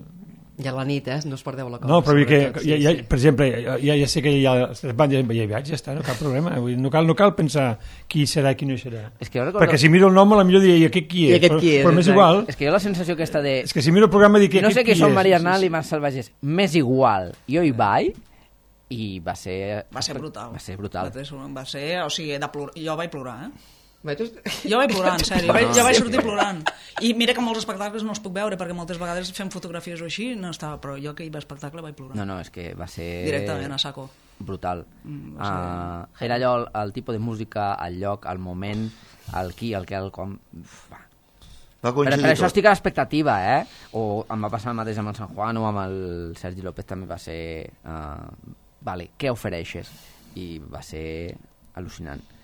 I a la nit, no us perdeu la cosa. No, però vull que, sobretot, per exemple, ja sé que ja hi vaig, ja està, no cap problema. Vull dir, no cal pensar qui serà i qui no serà. És que jo recordo... Perquè si miro el nom, a la millor diria, i aquest qui és? I aquest qui és, però m'és exacte. igual. És que jo la sensació aquesta de... És que si miro el programa dic que No sé aquest qui qui són és. Maria Arnal i Marc Salvagés. M'és igual. Jo hi vaig i va ser... Va ser brutal. Va ser brutal. Va ser, o sigui, jo vaig plorar, Va, tu... Jo vaig plorar, en sèrio. Jo vaig sortir plorant. I mira que molts espectacles no els puc veure, perquè moltes vegades fem fotografies o així, no estava, però jo que hi va espectacle vaig plorar. No, és que va ser... Directament a saco. Brutal. Era allò, el tipus de música, el lloc, el moment, el qui, el què, el com... Va Per coincidir això tot. estic a l'expectativa, O em va passar el mateix amb el San Juan o amb el Sergi López, també va ser... Vale, què ofereixes? I va ser al·lucinant.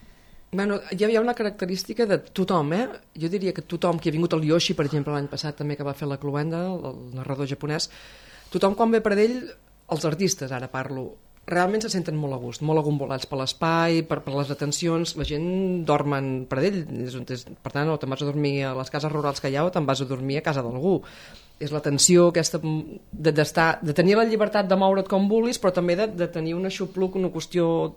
Bueno, hi havia una característica de tothom, Jo diria que tothom, que ha vingut el Yoshi, per exemple, l'any passat també, que va fer la Cluenda, el narrador japonès, tothom quan ve per ell, els artistes, ara parlo, realment se senten molt a gust, molt agombolats per l'espai, per les atencions, la gent dormen per ell, per tant, o te'n vas a dormir a les cases rurals que hi ha o te'n vas a dormir a casa d'algú. És l'atenció aquesta de tenir la llibertat de moure't com vulguis, però també de tenir un aixopluc, una qüestió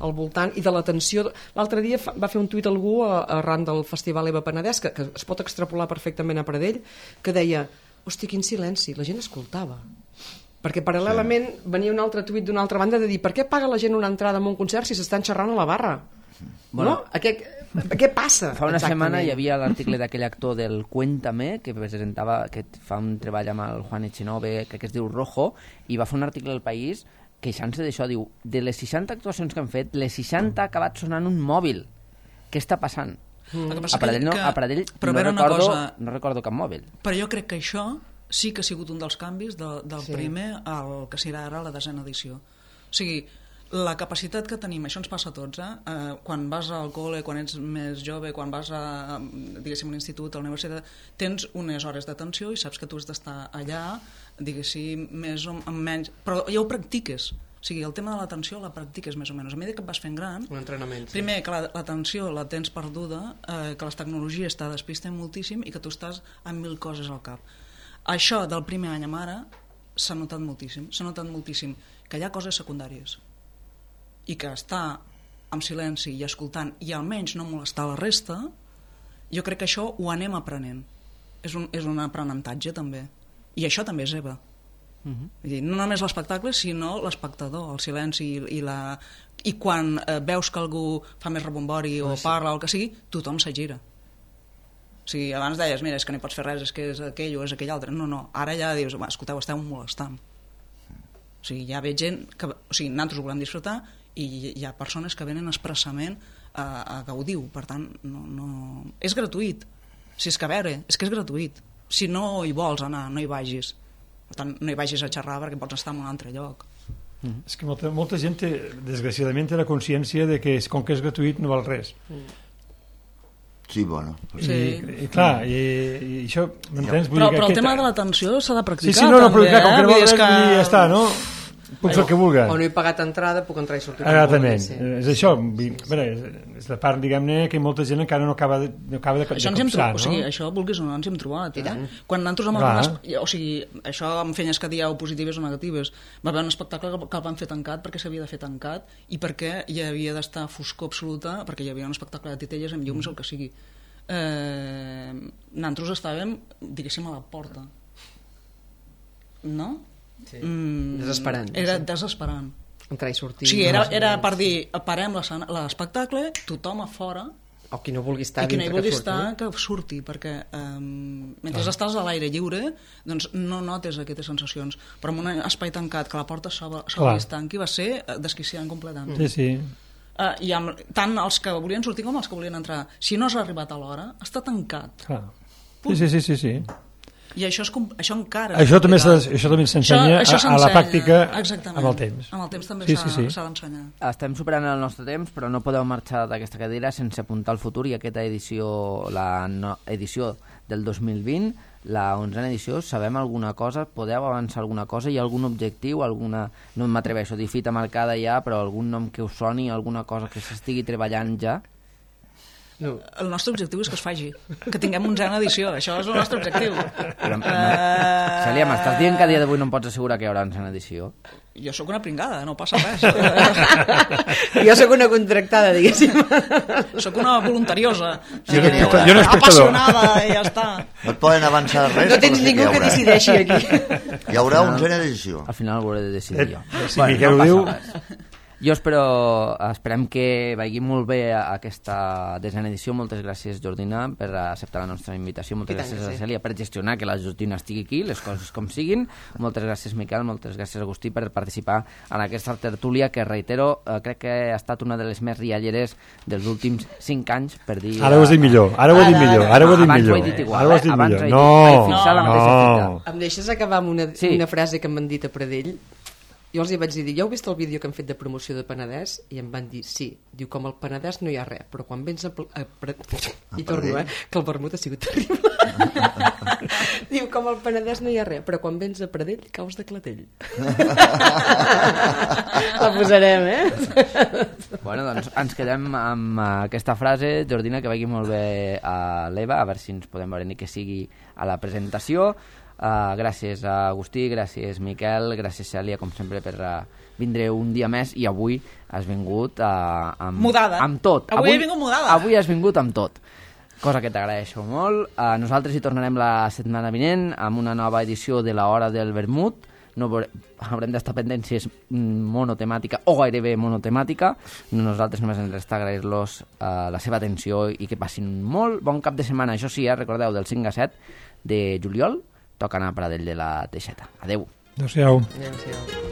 al voltant, i de l'atenció. L'altre dia va fer un tuit algú arran del Festival Eva Penedès, que es pot extrapolar perfectament a Pradell, que deia, hosti, quin silenci, la gent escoltava. Perquè paral·lelament venia un altre tuit d'una altra banda de dir, per què paga la gent una entrada en un concert si s'estan xerrant a la barra? Bueno, no? Què passa? Fa una exactament? setmana hi havia l'article d'aquell actor del Cuéntame, que presentava, que fa un treball amb el Juan Echenove, que es diu Rojo, i va fer un article al País queixant-se d'això, diu, de les 60 actuacions que han fet, les 60 ha acabat sonant un mòbil. Què està passant? A Pradell no recordo cap mòbil. Però jo crec que això sí que ha sigut un dels canvis del primer al que serà ara la 10ª edició. O sigui, la capacitat que tenim, això ens passa a tots, quan vas al col·le, quan ets més jove, quan vas a, diguéssim, a l'institut, a la universitat, tens unes hores d'atenció i saps que tu has d'estar allà, diguéssim, més o menys, però ja ho practiques. O sigui, el tema de l'atenció la practiques més o menys. A mesura que et vas fent gran, Un entrenament. Sí. primer, que l'atenció la tens perduda, que les tecnologies te despisten moltíssim i que tu estàs amb 1000 coses al cap. Això del primer any amb ara s'ha notat moltíssim que hi ha coses secundàries i que estar en silenci i escoltant i almenys no molestar la resta, jo crec que això ho anem aprenent. És un aprenentatge també. I això també és EVA. Vull dir, no només l'espectacle, sinó l'espectador, el silenci i quan veus que algú fa més rebombori o parla o el que sigui, tothom se gira. O sigui, abans deies, mira, és que no hi pots fer res, és que és aquell o és aquell altre. No, ara ja dius, escolteu, esteu molestant. O sigui, ja veig gent que... O sigui, nosaltres ho volem disfrutar i hi ha persones que venen expressament a gaudir-ho. Per tant, no... És gratuït. Si és que a veure, és que és gratuït. Si no hi vols anar, no hi vagis. Per tant, no hi vagis a xerrar perquè pots estar en un altre lloc. És que molta gent, desgraciadament, té la consciència de que com que és gratuït no val res. Sí, bueno. Sí. I clar, i això... m'entens? Però el tema de l'atenció s'ha de practicar. Sí, no, també, clar, com que no val res, que... ja està, no? Puc fer el que vulgui. O no he pagat entrada, puc entrar i sortir. Exactament. És això. És la part, diguem-ne, que molta gent encara no acaba de això ens hem trobat, no? O sigui, això, vulguis o no, ens hem trobat. Quan nosaltres amb algunes... O sigui, això amb feines que dieu positives o negatives. Va haver un espectacle que el van fer tancat perquè s'havia de fer tancat i perquè hi havia d'estar foscor absoluta, perquè hi havia un espectacle de titelles amb llums o el que sigui. Nosaltres estàvem, diguéssim, a la porta. No? Sí. Desesperant. Era desesperant. Entrar i sortir. O sigui, era per dir, parem l'espectacle, tothom a fora, o qui no vulgui estar i qui no hi vulgui que estar, que surti, perquè mentre estàs a l'aire lliure, doncs no notes aquestes sensacions. Però en un espai tancat, que la porta s'obre i es tanqui, va ser desquiciant completament. Sí. I tant els que volien sortir com els que volien entrar. Si no has arribat a l'hora, està tancat. Sí. I això encara... Això també s'ensenya a la pràctica amb el temps. Amb el temps també s'ha d'ensenyar. Estem superant el nostre temps, però no podeu marxar d'aquesta cadira sense apuntar al futur, i aquesta edició, edició del 2020, la 11a edició, sabem alguna cosa? Podeu avançar alguna cosa? Hi ha algun objectiu? No m'atreveixo a dir fita marcada ja, però algun nom que us soni, alguna cosa que s'estigui treballant ja? No. El nostre objectiu és que es faci, que tinguem 11a edició, això és el nostre objectiu. Cèlia, m'estàs dient que a dia d'avui no em pots assegurar que hi haurà 11a edició? Jo sóc una pringada, no passa res. Jo sóc una contractada, diguéssim. Sóc una voluntariosa, apassionada, i ja està. No et poden avançar res. No tens ningú que decideixi aquí. Hi haurà 11a edició. Al final ho hauré de decidir jo. Si Miquel ho diu... Jo esperem que vagi molt bé aquesta 10a edició. Moltes gràcies, Jordina, per acceptar la nostra invitació. Moltes gràcies a la Cèlia per gestionar que la Jordina estigui aquí, les coses com siguin. Moltes gràcies, Miquel, moltes gràcies, Agustí, per participar en aquesta tertúlia que, reitero, crec que ha estat una de les més rialleres dels últims 5 anys, per dir... Ara ho has dit millor, ara ho he dit millor. Abans ho he dit igual, No. Em deixes acabar amb una frase que m'han dit a Pradell? Jo els hi vaig dir, ja heu vist el vídeo que han fet de promoció de Penedès? I em van dir, sí. Diu, com al Penedès no hi ha res, però quan vens I torno, que el vermut ha sigut terrible. Diu, com al Penedès no hi ha res, però quan vens a Pradell caus de clatell. La posarem, Bueno, doncs ens quedem amb aquesta frase. Jordina, que vagi molt bé a l'Eva, a veure si ens podem veure ni que sigui a la presentació. Gràcies a Agustí, gràcies Miquel, gràcies Cèlia, com sempre, per vindre un dia més, i avui has vingut amb tot. Avui he vingut mudada. Avui has vingut amb tot, cosa que t'agraeixo molt. Nosaltres hi tornarem la setmana vinent amb una nova edició de l'Hora del Vermut. Haurem d'estar pendents si és monotemàtica o gairebé monotemàtica. Nosaltres només ens resta agrair-los la seva atenció i que passin molt bon cap de setmana. Això sí, recordeu, del 5 a 7 de juliol toca anar a Pradell de la Teixeta. Adeu. Adéu-siau. Adéu-siau.